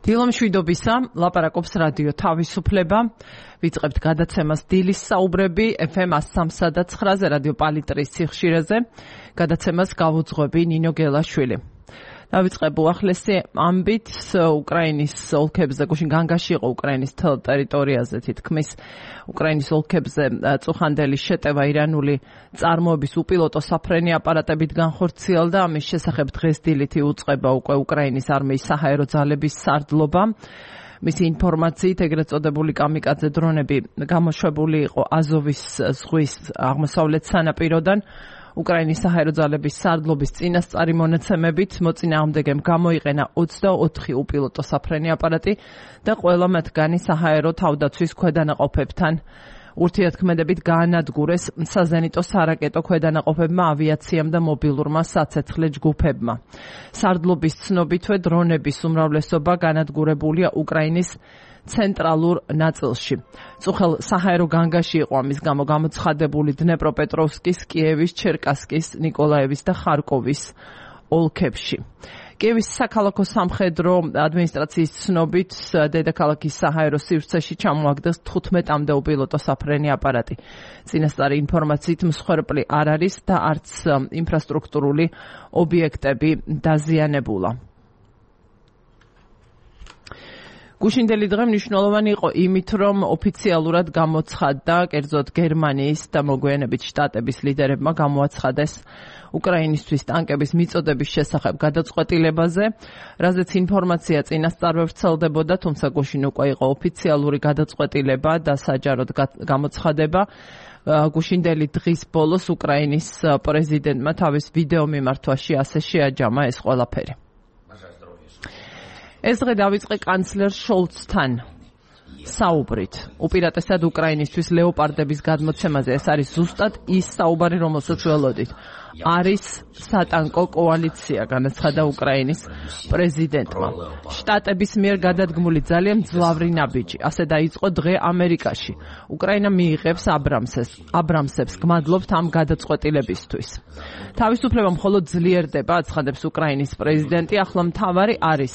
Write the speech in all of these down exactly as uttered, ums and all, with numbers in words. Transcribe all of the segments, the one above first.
დილომშვიდობისა, ლაპარაკობს რადიო თავისუფლება. ვიწყებთ გადაცემას დილის საუბრები ეფ ემ one oh three point nine-ზე რადიო პალიტრის სიხშირეზე. გადაცემას გავუძღვები ნინო გელაშვილი. დავიწყებ უახლესი ამბით უკრაინის ოლქებზე, გუშინ განგაში იყო უკრაინის ტერიტორიაზე, თითქმის უკრაინის ოლქებზე წუხანდელი შეტევა ირანული წარმოების უპილოტო საფრენი აპარატებით განხორციელდა. ამის შესახებ დღეს დილით იუწყება უკვე უკრაინის არმიის საჰაერო ძალების სარდლობა. მისი ინფორმაციით ეგრეთ წოდებული კამიკაძე დრონები გამოშვებული იყო აზოვის ზღვის აღმოსავლეთ სანაპიროდან. უკრაინის საჰაერო ძალების სარდლობის წინასწარი მონაცემებით მოწინააღმდეგემ გამოიყენა ოცდაოთხი უპილოტო საფრენი აპარატი და ყველა მათგანი საჰაერო თავდაცვის ქვედანაყოფებთან ურთიერთქმედებით გაანადგურეს საზენიტო სარაკეტო ქვედანაყოფებმა, ავიაციამ და მობილურმა საცეცხლე ჯგუფებმა. სარდლობის ცნობითვე დრონების უმრავლესობა განადგურებულია უკრაინის ცენტრალურ ნაწილში. წუხელ საჰაერო განგაში იყო ამის გამო გამოცხადებული დნეპროპეტროვსკის, კიევის, ჩერკასკის, ნიკოლაევის და ხარკოვის ოლქებში. კიევის საქალაქო სამხედრო ადმინისტრაციის ცნობით დედაქალაქის საჰაერო სივრცეში ჩამოაგდეს თხუთმეტამდე უპილოტო საფრენი აპარატი. წინასწარი ინფორმაციით მსხვერპლი არ არის და არც ინფრასტრუქტურული ობიექტები დაზიანებულა. გუშინდელი დღე მნიშვნელოვანი იყო იმით, რომ ოფიციალურად გამოცხადდა, კერძოდ გერმანიის და მოგვიანებით შტატების ლიდერებმა გამოაცხადეს უკრაინისთვის ტანკების მიწოდების შესახებ გადაწყვეტილებაზე, რაზეც ინფორმაცია წინასწარვე ვრცელდებოდა, თუმცა გუშინ უკვე იყო ოფიციალური გადაწყვეტილება და საჯაროდ გამოცხადება. გუშინდელი დღის ბოლოს უკრაინის პრეზიდენტმა თავის ვიდეო მიმართვაში ასე შეაჯამა ეს ყველაფერი. ეს დღე დავიწყე კანცლერ შოლცთან საუბრით. უპირატესად უკრაინისთვის ლეოპარდების გადმოცემაზე. ეს არის ზუსტად ის საუბარი, რომელსაც ველოდით. არის სატანკო კოალიცია, განაცხადა უკრაინის პრეზიდენტმა. შტატების მიერ გადადგმული ძალიან მძლავრი ნაბიჯი. ასე დაიწყო დღე ამერიკაში. უკრაინა მიიღებს აბრამსებს, აბრამსებს გმადლობთ ამ გადაწყვეტილებისთვის. თავისუფლება მხოლოდ ძლიერდება, აცხადებს უკრაინის პრეზიდენტი. ახლა მთავარი არის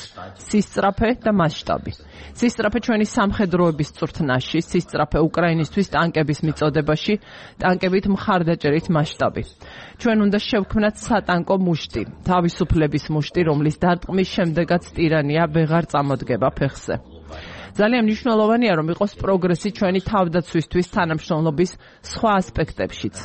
სისწრაფე და მასშტაბი. სისწრაფე ჩვენი სამხედროების წვრთნაში, სისწრაფე უკრაინისთვის ტანკების მიწოდებაში, ტანკებით მხარდაჭერით მასშტაბი. ჩვენ უნდა შევქმნათ სატანკო მუშტი, თავისუფლების მუშტი, რომლის დარტყმის შემდეგაც ტირანია ვეღარ წამოდგება ფეხზე. ძალიან მნიშვნელოვანია, რომ იყოს პროგრესი ჩვენი თავდაცვისთვის თანამშრომლობის სხვა ასპექტებშიც,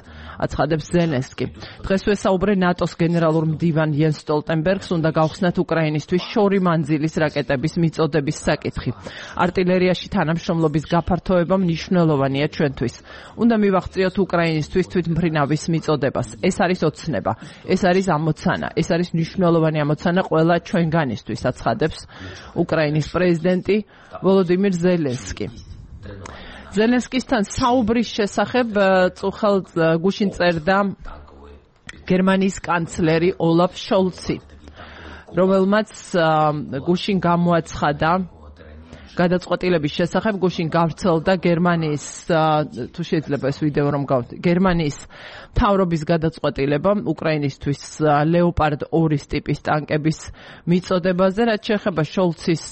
აცხადებს ზელენსკი. დღეს ვესაუბრე ნატოს გენერალურ მდივან იენს სტოლტენბერგს, უნდა გავხსნათ უკრაინისთვის შორი მანძილის რაკეტების მიწოდების საკითხი. არტილერიაში თანამშრომლობის გაფართოება მნიშვნელოვანია ჩვენთვის. უნდა მივახციოთ უკრაინისთვის თვითმფრინავის მიწოდებას. ეს არის ოცნება, ეს არის ამოცანა, ეს არის მნიშვნელოვანი ამოცანა ყველა ჩვენგანისთვის, აცხადებს უკრაინის პრეზიდენტი ვოლოდიმირ ზელენსკი. ზელენსკისთან საუბრის შესახებ წუხელ გუშინ წერდა გერმანიის კანცლერი ოლაფ შოლცი, რომელმაც გუშინ გამოაცხადა გადაწყვეტილების შესახებ, გუშინ გავრცელდა გერმანიის, თუ შეიძლება ეს ვიდეო რომ გავთ, გერმანიის მთავრობის გადაწყვეტილება უკრაინისთვის ლეოპარდ ორი ტიპის ტანკების მიწოდებაზე, რაც შეეხება შოლცის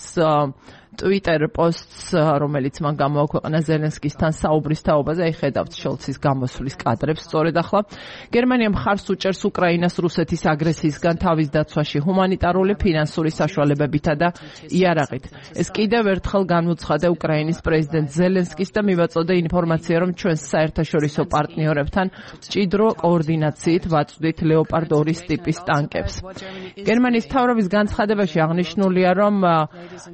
Twitter posts, რომელიც მან გამოაქვეყნა ზელენსკისთან საუბრის თაობაზე, აი ხედავთ შოლცის გამოსვლის კადრებს სწორედ ახლა. გერმანია მხარს უჭერს უკრაინას რუსეთის აგრესიისგან თავის დაცვაში ჰუმანიტარული, ფინანსური საშუალებებითა და იარაღით. ეს კიდევ ერთხელ განუცხადა უკრაინის პრეზიდენტ ზელენსკის და მივაწოდე ინფორმაცია, რომ ჩვენს საერთაშორისო პარტნიორებთან მჭიდრო კოორდინაციით ვაწვდით ლეოპარდ ორი ტიპის ტანკებს. გერმანიის მთავრობის განცხადებაში აღნიშნულია, რომ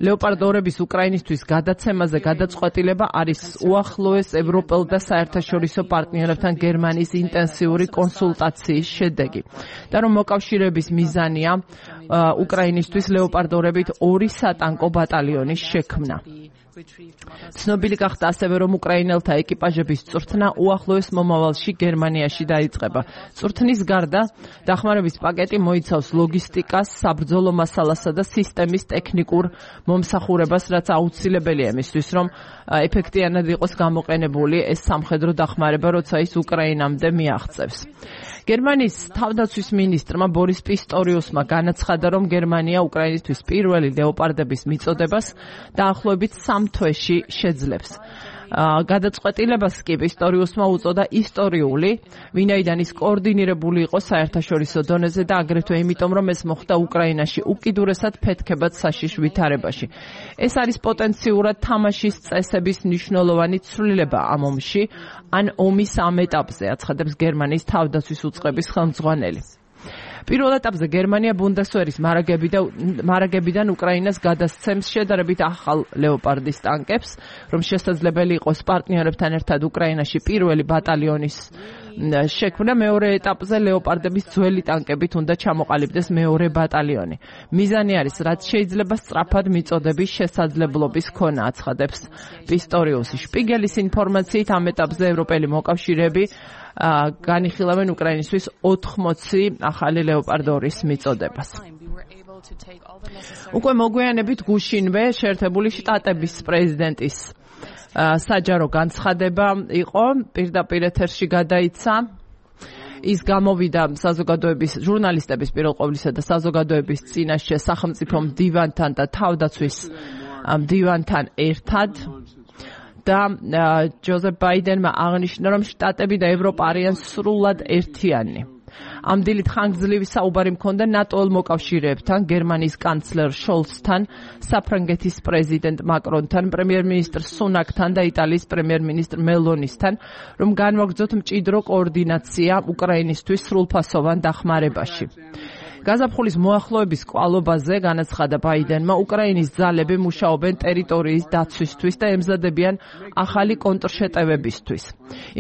ლეოპარდ ორების უკრაინისთვის გადაცემაზე გადაწყვეტილება არის უახლოეს ევროპელ და საერთაშორისო პარტნიორებთან გერმანიის ინტენსიური კონსულტაციის შედეგი და რომ მოკავშირეების მიზანია უკრაინისთვის ლეოპარდ ორებით ორი სატანკო ბატალიონის შექმნა. ცნობილი გახდა ასევე, რომ უკრაინელთა ეკიპაჟების წვრთნა უახლოეს მომავალში გერმანიაში დაიწყება. წვრთნის გარდა დახმარების პაკეტი მოიცავს ლოგისტიკას, საბრძოლო მასალასა და სისტემის ტექნიკურ მომსახურებას, რაც აუცილებელია იმისთვის, რომ ეფექტიანად იყოს გამოყენებული ეს სამხედრო დახმარება, როცა ის უკრაინამდე მიაღწევს. გერმანიის თავდაცვის მინისტრმა ბორის პისტორიუსმა განაცხადა, რომ გერმანია უკრაინისთვის პირველი ლეოპარდების მიწოდებას დაახლოებით სამ თვეში შეძლებს. გადაწყვეტილებას კი პისტორიუსმა უწოდა ისტორიული, ვინაიდან ის კოორდინირებული იყო საერთაშორისო დონეზე და აგრეთვე იმიტომ, რომ ეს მოხდა უკრაინაში უკიდურესად ფეთქებად საშიშ ვითარებაში. ეს არის პოტენციურად თამაშის წესების მნიშვნელოვანი ცვლილება ამ ომში, ან ომის ამ ეტაპზე, აცხადებს გერმანიის თავდაცვის უწყების ხელმძღვანელი. პირველ ეტაპზე გერმანია ბუნდესვერის მარაგებიდან უკრაინას გადასცემს შედარებით ახალ ლეოპარდის ტანკებს, რომ შესაძლებელი იყოს პარტნიორებთან ერთად უკრაინაში პირველი ბატალიონის შექმნა. მეორე ეტაპზე ლეოპარდების ძველი ტანკებით უნდა ჩამოყალიბდეს მეორე ბატალიონი. მიზანი არის, რაც შეიძლება სწრაფად მიწოდების შესაძლებლობის ქონა, აცხადებს პისტორიუსი. შპიგელის ინფორმაციით ამ ეტაპზე ევროპელი მოკავშირეები განიხილავენ უკრაინისთვის ოთხმოცი ახალი ლეოპარდ ორის მიწოდებას. უკვე მოგვიანებით გუშინვე შეერთებული შტატების პრეზიდენტის საჯარო განცხადება იყო, პირდაპირ ეთერში გადაიცა. ის გამოვიდა საზოგადოების ჟურნალისტების პირველ ყოვლისა და საზოგადოების წინაშე სახელმწიფო მდივანთან და თავდაცვის მდივანთან ერთად. და ჯოზეფ ბაიდენმა აღნიშნა, რომ შტატები და ევროპა არიან სრულად ერთიანი. ამ დილით ხანგრძლივი საუბარი მქონდა ნატოელ მოკავშირეებთან, გერმანიის კანცლერ შოლცთან, საფრანგეთის პრეზიდენტ მაკრონთან, პრემიერ-მინისტრ სუნაკთან და იტალიის პრემიერ-მინისტრ მელონისთან, რომ განვაგრძოთ მჭიდრო კოორდინაცია უკრაინისთვის სრულფასოვან დახმარებაში. გაზაფხულის მოახლოების კვალობაზე განაცხადა ბაიდენმა, უკრაინის ძალები მუშაობენ ტერიტორიის დაცვისთვის და ემზადებიან ახალი კონტრშეტევებისთვის.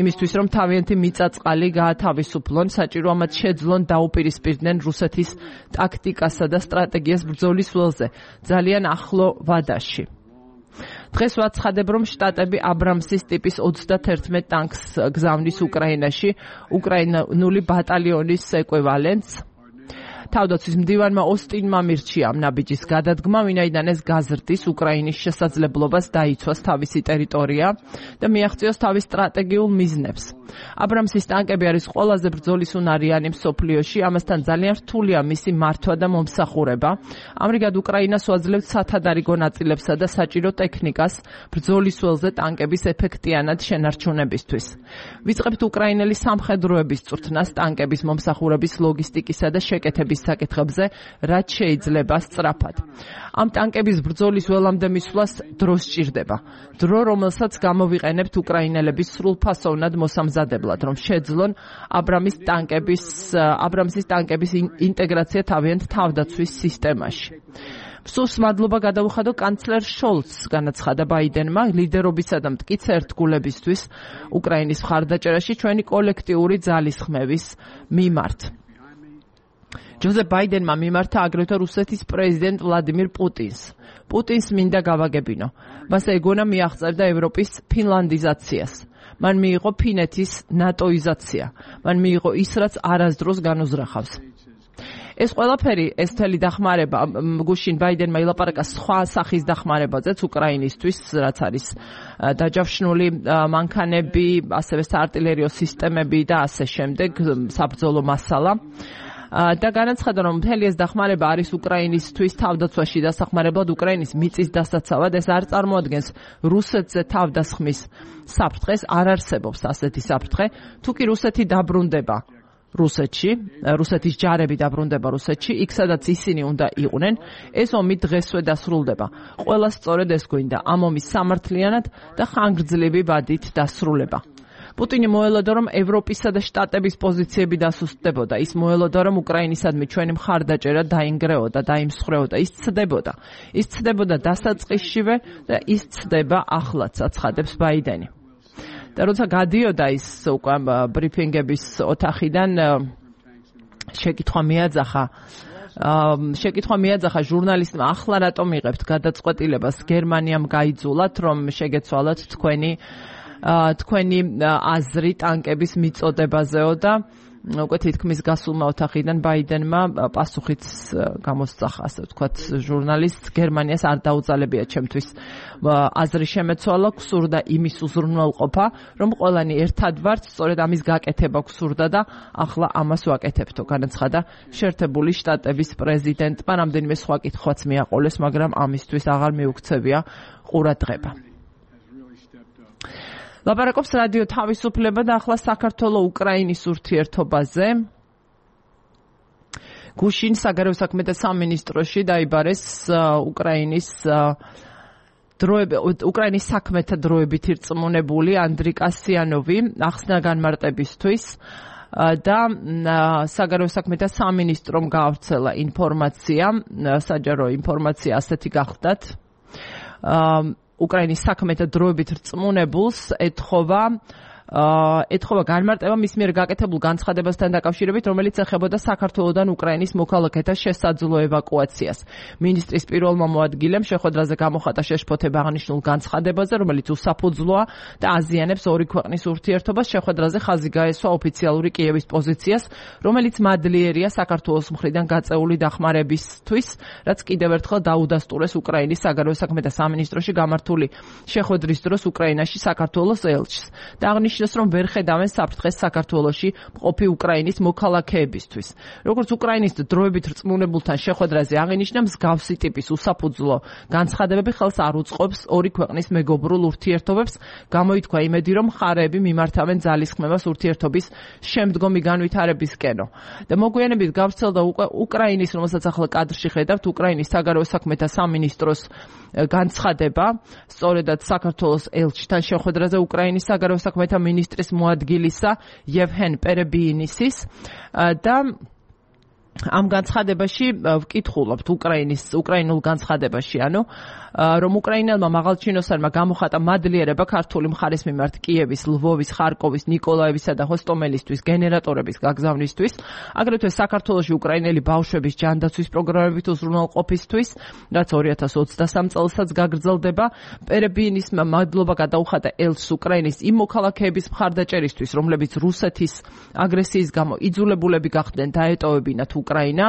იმისთვის, რომ თავიანთი მიწაწყალი გაათავისუფლონ, საჭირო ამათ შეძლონ დაუპირისპირდნენ რუსეთის ტაქტიკასა და სტრატეგიას ბრძოლის ველზე, ძალიან ახლო ვადაში. დღეს ვაცხადებ, რომ შტატები აბრამსის ტიპის ოცდაათერთმეტ ტანკს გზავნის უკრაინაში, უკრაინული ბატალიონის ეკვივალენტს. თავდაცვის მდივანმა ოსტინმა მირჩია ამ ნაბიჯის გადადგმა, ვინაიდან ეს გაზრდის უკრაინის შესაძლებლობას დაიცვას თავისი ტერიტორია და მიაღწიოს თავის სტრატეგიულ მიზნებს. აბრამსის ტანკები არის ყველაზე ბრძოლის უნარიანი მსოფლიოში, ამასთან ძალიან რთულია მისი მართვა და მომსახურება. ამრიგად უკრაინას უაძლევს სათადარიგო ნაწილებსა და საჭირო ტექნიკას ბრძოლის ველზე ტანკების ეფექტიანად შენარჩუნებისთვის. ვიწყებთ უკრაინელი სამხედროების წვრთნას ტანკების მომსახურების ლოგისტიკისა და შეკეთების საკითხებზე, რაც შეიძლება სწრაფად. ამ ტანკების ბრძოლის ველამდე მისვლას დრო სჭირდება. დრო, რომელსაც გამოვიყენებთ უკრაინელების სრულფასოვნად მოსამზადებლად, რომ შეძლონ აბრამის ტანკების აბრამსის ტანკების ინტეგრაცია თავიანთ თავდაცვის სისტემაში. სულს მადლობა გადაუხადო კანცლერ შოლცს, განაცხადა ბაიდენმა, ლიდერობისა და მტკიცე ერთგულებისთვის უკრაინის მხარდაჭერაში ჩვენი კოლექტიური ძალისხმევის მიმართ. ჯოზეფ ბაიდენმა მიმართა აგრეთვე რუსეთის პრეზიდენტ ვლადიმირ პუტინს. პუტინს მინდა გავაგებინო. მას ეგონა მიაღწევდა ევროპის ფინლანდიზაციას. მან მიიღო ფინეთის ნატოიზაცია. მან მიიღო ის, რაც არასდროს განუზრახავს. ეს ყველაფერი, ეს მთელი დახმარება, გუშინ ბაიდენმა ილაპარაკა სხვა სახის დახმარებაზეც უკრაინისთვის, რაც არის დაჯავშნული მანქანები, ასევე საარტილერიო სისტემები და ასე შემდეგ, საბრძოლო მასალა. და განაცხადა, რომ მთელი ეს დახმარება არის უკრაინისთვის თავდაცვაში დასახმარებლად უკრაინის მიწის დასაცავად. ეს არ წარმოადგენს რუსეთზე თავდასხმის საფრთხეს, არ არსებობს ასეთი საფრთხე. თუ კი რუსეთი დაბრუნდება რუსეთში, რუსეთის ჯარები დაბრუნდება რუსეთში, იქ სადაც ისინი უნდა იყვნენ, ეს ომი დღესვე დასრულდება. ყველა სწორედ ეს გვინდა, ამ ომის სამართლიანად და ხანგრძლივი ვადით დასრულება. პუტინი მოელოდა, რომ ევროპისა და შტატების პოზიციები დასუსტდებოდა. ის მოელოდა, რომ უკრაინისადმი ჩვენი მხარდაჭერა დაინგრეოდა, დაიმსხვრეოდა, ის ცდებოდა. ის ცდებოდა დასაწყისშივე და ის ცდება ახლაც, აცხადებს ბაიდენი. და როცა გადიოდა ის უკვე ბრიფინგების ოთახიდან, შეკითხვა მიაძახა შეკითხვა მიაძახა ჟურნალისტმა, ახლა რატომ იღებთ გადაწყვეტილებას გერმანიამ გაიძულათ, რომ შეგეცვალათ თქვენი თქვენი აზრი ტანკების მიწოდებაზეო და უკვე თითქმის გასულმა ოთახიდან ბაიდენმა პასუხიც გამოსწახა, ასე ვთქვათ, ჟურნალისტს გერმანიას არ დაუძალებია ჩემთვის აზრი შემეცვალა, გსურდა იმის უზრუნველყოფა, რომ ყველანი ერთად ვართ, სწორედ ამის გაკეთება გსურდა და ახლა ამას ვაკეთებთო, განაცხადა შეერთებული შტატების პრეზიდენტმა. რამდენიმე სხვა კითხვაც მიაყოლეს, მაგრამ ამისთვის აღარ მიუქცევია ყურადღება. ლაპარაკობს რადიო თავისუფლება და ახლა საქართველო-უკრაინის ურთიერთობაზე. გუშინ საგარეო საქმეთა სამინისტროში დაიბარეს უკრაინის უკრაინის საქმეთა დროებით ირწმუნებული ანდრი კასიანოვი ახსნა განმარტებისთვის და საგარეო საქმეთა სამინისტრომ გაავრცელა ინფორმაცია, საჯარო ინფორმაცია ასეთი გახლდათ. უკრაინის საქმეთა დროებით რწმუნებულს ეთხოვა ეთხოვა განმარტება მის მიერ გაკეთებულ განცხადებასთან დაკავშირებით, რომელიც ეხებოდა საქართველოდან უკრაინის მოქალაქეთა შესაძლო ევაკუაციას. მინისტრის პირველმა მოადგილემ შეხვედრაზე გამოხატა შეშფოთება აღნიშნულ განცხადებაზე, რომელიც უსაფუძვლოა და აზიანებს ორი ქვეყნის ურთიერთობას. შეხვედრაზე ხაზი გაესვა ოფიციალური კიევის პოზიციას, რომელიც მადლიერია საქართველოს მხრიდან გაწეული დახმარებისთვის, რაც კიდევ ერთხელ დაუდასტურეს უკრაინის საგარეო საქმეთა სამინისტროში გამართული შეხვედრის დროს უკრაინაში საქართველოს ელჩს. და აღნიშნეს, რომ ვერ ხედავენ საფრთხეს საქართველოში მყოფი უკრაინის მოქალაქეებისთვის. როგორც უკრაინის დროებით რწმუნებულთან შეხვედრაზე აღინიშნა, მსგავსი ტიპის უსაფუძვლო განცხადებები ხელს არ უწყობს ორი ქვეყნის მეგობრულ ურთიერთობებს. გამოითქვა იმედი, რომ მხარეები მიმართავენ ძალისხმევას ურთიერთობის შემდგომი განვითარებისკენო. და მოგვიანებით გავრცელდა უკრაინის, რომელსაც ახლა კადრში ხედავთ, უკრაინის საგარეო საქმეთა სამინისტროს განცხადება, სწორედად საქართველოს ელჩთან შეხვედრაზე უკრაინის საგარეო საქმეთა მინისტრის მოადგილისა იევჰენ პერებიინისის და ამ განცხადებაში ვკითხულობთ უკრაინის უკრაინულ განცხადებაში, ანუ რომ უკრაინელმა მაღალჩინოსანმა გამოხატა მადლიერება ქართული მხარის მიმართ კიევის, ლვოვის, ხარკოვის, ნიკოლაევისა და ჰოსტომელისთვის გენერატორების გაგზავნისთვის, აგრეთვე საქართველოში უკრაინელი ბავშვების ჯანდაცვის პროგრამებით უზრუნველყოფისთვის, რაც ორი ათას ოცდასამ წელსაც გაგრძელდება. პერებიინისმა მადლობა გადაუხადა ელჩს უკრაინის იმ მოქალაქეების მხარდაჭერისთვის, რომლებიც რუსეთის აგრესიის გამო იძულებულები გახდნენ დაეტოვებინათ უკრაინა.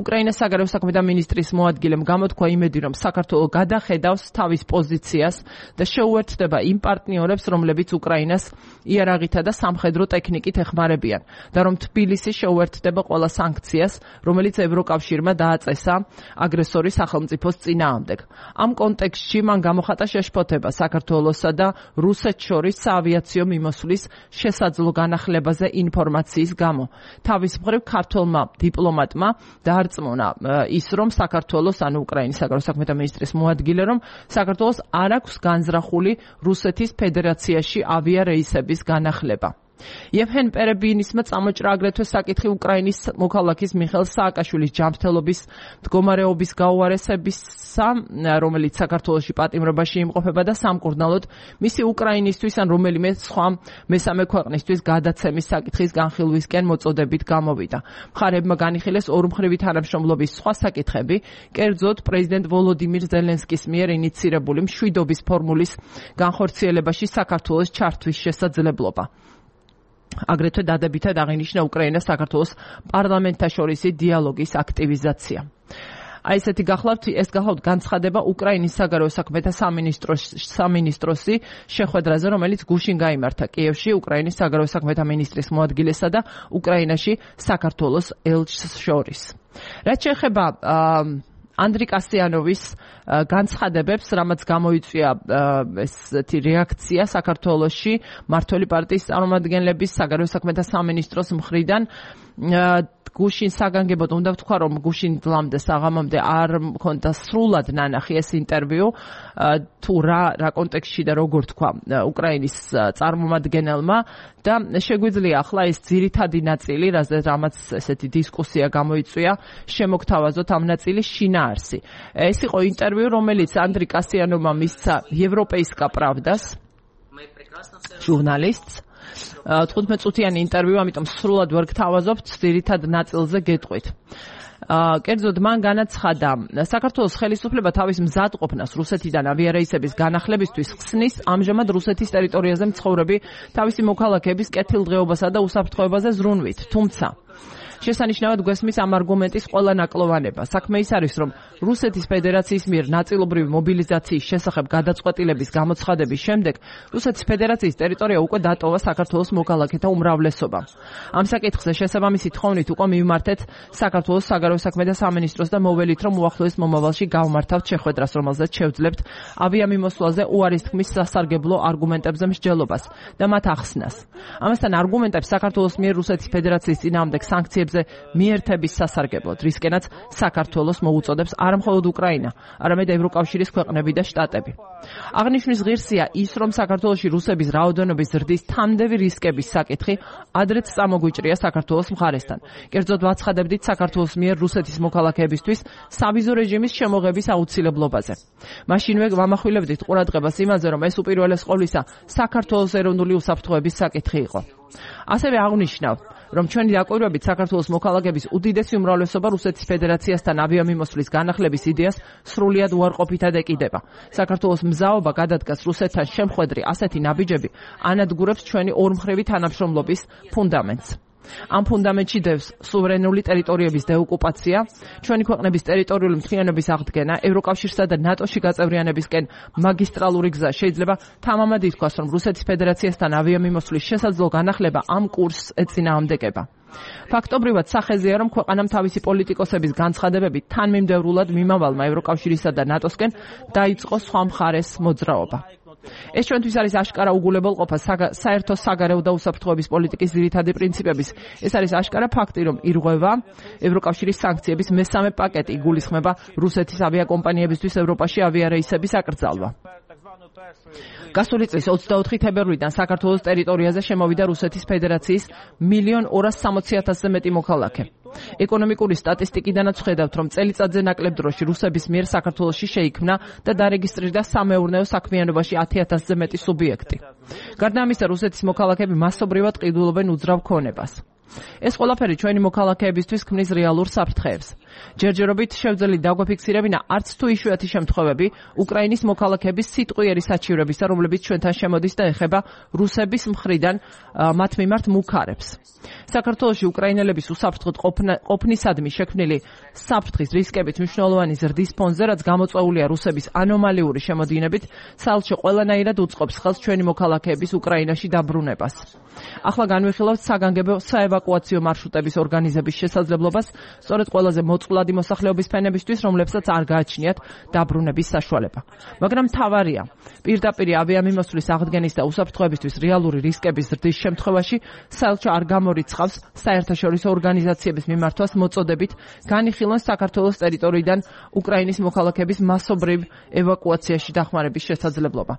უკრაინას საგარეო საქმეთა მინისტრის მოადგილემ გამოთქვა იმედი, რომ საქართველო გადახედავს თავის პოზიციას და შეუერთდება იმ პარტნიორებს, რომლებიც უკრაინას იარაღითა და სამხედრო ტექნიკით ეხმარებიან და რომ თბილისი შეუერთდება ყველა სანქციას, რომელიც ევროკავშირმა დააწესა აგრესორის სახელმწიფოს წინააღმდეგ. ამ კონტექსტში მან გამოხატა შეშფოთება საქართველოსა და რუსეთს შორის საავიაციო მიმოსვლის შესაძლო განახლებაზე ინფორმაციის გამო. თავის მხრივ ქართველმა დიპლომატმა დაარწმუნა ის, რომ საქართველოს, ანუ უკრაინის საგარეო საქმეთა მინისტრის მოადგილე, რომ საქართველოს არ აქვს განზრახული რუსეთის ფედერაციაში ავიარეისების განახლება. იევჰენ პერებიინისმა წამოჭრა აგრეთვე საკითხი უკრაინის მოქალაქის მიხეილ სააკაშვილის ჯანმრთელობის მდგომარეობის გაუარესებისა, რომელიც საქართველოში პატიმრობაში იმყოფება და სამკურნალოდ მისი უკრაინისთვის ან რომელიმე სხვა მესამე ქვეყნისთვის გადაცემის საკითხის განხილვისკენ მოწოდებით გამოვიდა. მხარეებმა განიხილეს ორმხრივი თანამშრომლობის სხვა საკითხები, კერძოდ პრეზიდენტ ვოლოდიმირ ზელენსკის მიერ ინიცირებული მშვიდობის ფორმულის განხორციელებაში საქართველოს ჩართვის შესაძლებლობა. აგრეთვე დადებითად აღინიშნა უკრაინას საქართველოს პარლამენტთაშორისი დიალოგის აქტივიზაცია. აი ესეთი გახლავთ, ეს გახლავთ განცხადება უკრაინის საგარეო საქმეთა სამინისტროსი შეხვედრაზე, რომელიც გუშინ გაიმართა კიევში უკრაინის საგარეო საქმეთა მინისტრის მოადგილესა და უკრაინაში საქართველოს ელჩს შორის. რაც შეეხება ანდრი კასიანოვის განცხადებებს, რამაც გამოიწვია ესეთი რეაქცია საქართველოში მმართველი პარტიის წარმომადგენლების საგარეო საქმეთა სამინისტროს მხრიდან, გუშინ საგანგებოდ უნდა ვთქვა, რომ გუშინ დღამდე საღამომდე არ მქონდა სრულად ნანახი ეს ინტერვიუ, თუ რა რა კონტექსტში და როგორ თქვა უკრაინის წარმომადგენელმა და შეგვიძლია ახლა ეს ძირითადი ნაწილი, რამაც ესეთი დისკუსია გამოიწვია, შემოგთავაზოთ ამ ნაწილის შინაარსი. ეს იყო ინტერვიუ, რომელიც ანდრი კასიანოვმა მისცა ევროპეისკა პრავდას ჟურნალისტს. თხუთმეტ წუთიანი ინტერვიუ, ამიტომ სრულად ვერ გთავაზობთ, ძირითად ნაწილზე გეტყვით. კერძოდ მან განაცხადა, საქართველოს ხელისუფლება თავის მზადყოფნას რუსეთიდან ავიარეისების განახლებისთვის ხსნის ამჟამად რუსეთის ტერიტორიაზე მცხოვრები თავისი მოქალაქეების კეთილდღეობასა და უსაფრთხოებაზე ზრუნვით, თუმცა შესანიშნავად გვესმის ამ არგუმენტის ყველა ნაკლოვანება. საქმე ის არის, რომ რუსეთის ფედერაციის მიერ ნაწილობრივი მობილიზაციის შესახებ გადაწყვეტილების გამოცხადების შემდეგ რუსეთის ფედერაციის ტერიტორია უკვე დატოვა საქართველოს მოქალაქეთა უმრავლესობამ. ამ საკითხზე შესაბამისი თხოვნით უკვე მივმართეთ საქართველოს საგარეო საქმეთა სამინისტროს და მოველით, რომ უახლოეს მომავალში გავმართავთ შეხვედრას, რომელზეც შევძლებთ ავიამიმოსვლაზე უარის თქმის სასარგებლო არგუმენტებზე მსჯელობას და მათ ახსნას. ამასთან არგუმენტებს საქართველოს მიერ რუსეთის ფედერაციის წინააღმდეგ სანქციებს მიერთების სასარგებლოდ, რისკენაც საქართველოს მოუწოდებს არა მხოლოდ უკრაინა, არამედ ევროკავშირის ქვეყნები და შტატები. აღნიშნვის ღირსია ის, რომ საქართველოში რუსების რაოდენობის ზრდის თამდევი რისკების საკითხი ადრეც წამოგვიჭრია საქართველოს მხარესთან. კერძოდ ვაცხადებდით საქართველოს მიერ რუსეთის მოქალაქეებისთვის სავიზო რეჟიმის შემოღების აუცილებლობაზე. მაშინვე ვამახვილებდით ყურადღებას იმაზე, რომ ეს უპირველეს ყოვლისა საქართველოს ეროვნული უსაფრთხოების საკითხი იყო. ასევე აღნიშნავ, რომ ჩვენი დაკვირვებით საქართველოს მოქალაქეების უდიდესი უმრავლესობა რუსეთის ფედერაციასთან ავიამიმოსვლის განახლების იდეას სრულიად უარყოფითად ეკიდება. საქართველოს მზაობა გადადგას რუსეთთან შემხვედრი ასეთი ნაბიჯები ანადგურებს ჩვენი ორმხრივი თანამშრომლობის ფუნდამენტს. ამ ფუნდამენტში დევს სუვერენული ტერიტორიების დეოკუპაცია, ჩვენი ქვეყნების ტერიტორიული მთლიანობის აღდგენა, ევროკავშირსა და ნატოში გაწევრიანებისკენ მაგისტრალური გზა. შეიძლება თამამად ითქვას, რომ რუსეთის ფედერაციასთან ავიამიმოსვლის შესაძლო განახლება ამ კურსს ეწინააღმდეგება. ფაქტობრივად სახეზეა, რომ ქვეყანამ თავისი პოლიტიკოსების განცხადებებით თანმიმდევრულად მიმავალმა ევროკავშირისა და ნატოსკენ დაიწყო სხვა მხარეს მოძრაობა. ეს ჩვენთვის არის აშკარა უგულებელყოფა საერთო საგარეო და უსაფრთხოების პოლიტიკის ძირითადი პრინციპების. ეს არის აშკარა ფაქტი, რომ ირღვევა ევროკავშირის სანქციების მესამე პაკეტი, იგულისხმება რუსეთის ავიაკომპანიებისთვის ევროპაში ავიარეისების აკრძალვა. გასული წლის ოცდაოთხი თებერვლიდან საქართველოს ტერიტორიაზე შემოვიდა რუსეთის ფედერაციის მილიონ ორას სამოცი ათასზე მეტი მოქალაქე. ეკონომიკური სტატისტიკიდანაც ხედავთ, რომ წელიწადზე ნაკლებ დროში რუსების მიერ საქართველოში შეიქმნა და დარეგისტრირდა სამეურნეო საქმიანობაში ათი ათასზე მეტი სუბიექტი. გარდა ამისა, რუსეთის მოქალაქეები მასობრივად ყიდულობენ უძრავ ქონებას. ეს ყველაფერი ჩვენი მოქალაქეებისთვის ქმნის რეალურ საფრთხეებს. ჯერჯერობით შევძელით დაგვაფიქსირებინა არც თუ იშვიათი შემთხვევები უკრაინის მოქალაქეების სიტყვიერი საჩივრებისა, რომლებიც ჩვენთან შემოდის და ეხება რუსების მხრიდან მათ მიმართ მუქარებს. საქართველოში უკრაინელების უსაფრთხოდ ყოფნისადმი შექმნილი საფრთხის რისკებით მნიშვნელოვანი ზრდის ფონზე, რაც გამოწვეულია რუსების ანომალიური შემოდინებით, საელჩო ყველანაირად უწყობს ხელს ჩვენი მოქალაქეების უკრაინაში დაბრუნებას. ახლა განვიხილავთ საგანგებო საევაკუაციო მარშრუტების ორგანიზების შესაძლებლობას, სწორედ ყველაზე მოწყვლადი მოსახლეობის ფენებისთვის, რომლებსაც არ გააჩნიათ დაბრუნების საშუალება. მაგრამ მთავარია, პირდაპირ ავიამიმოსვლის აღდგენის და უსაფრთხოებისთვის რეალური რისკების ზრდის შემთხვევაში საელჩო არ გამორიცხავს საერთაშორისო ორგანიზაციების მიმართვას მოწოდებით განიხილონ საქართველოს ტერიტორიიდან უკრაინის მოქალაქეების მასობრივ ევაკუაციაში დახმარების შესაძლებლობა.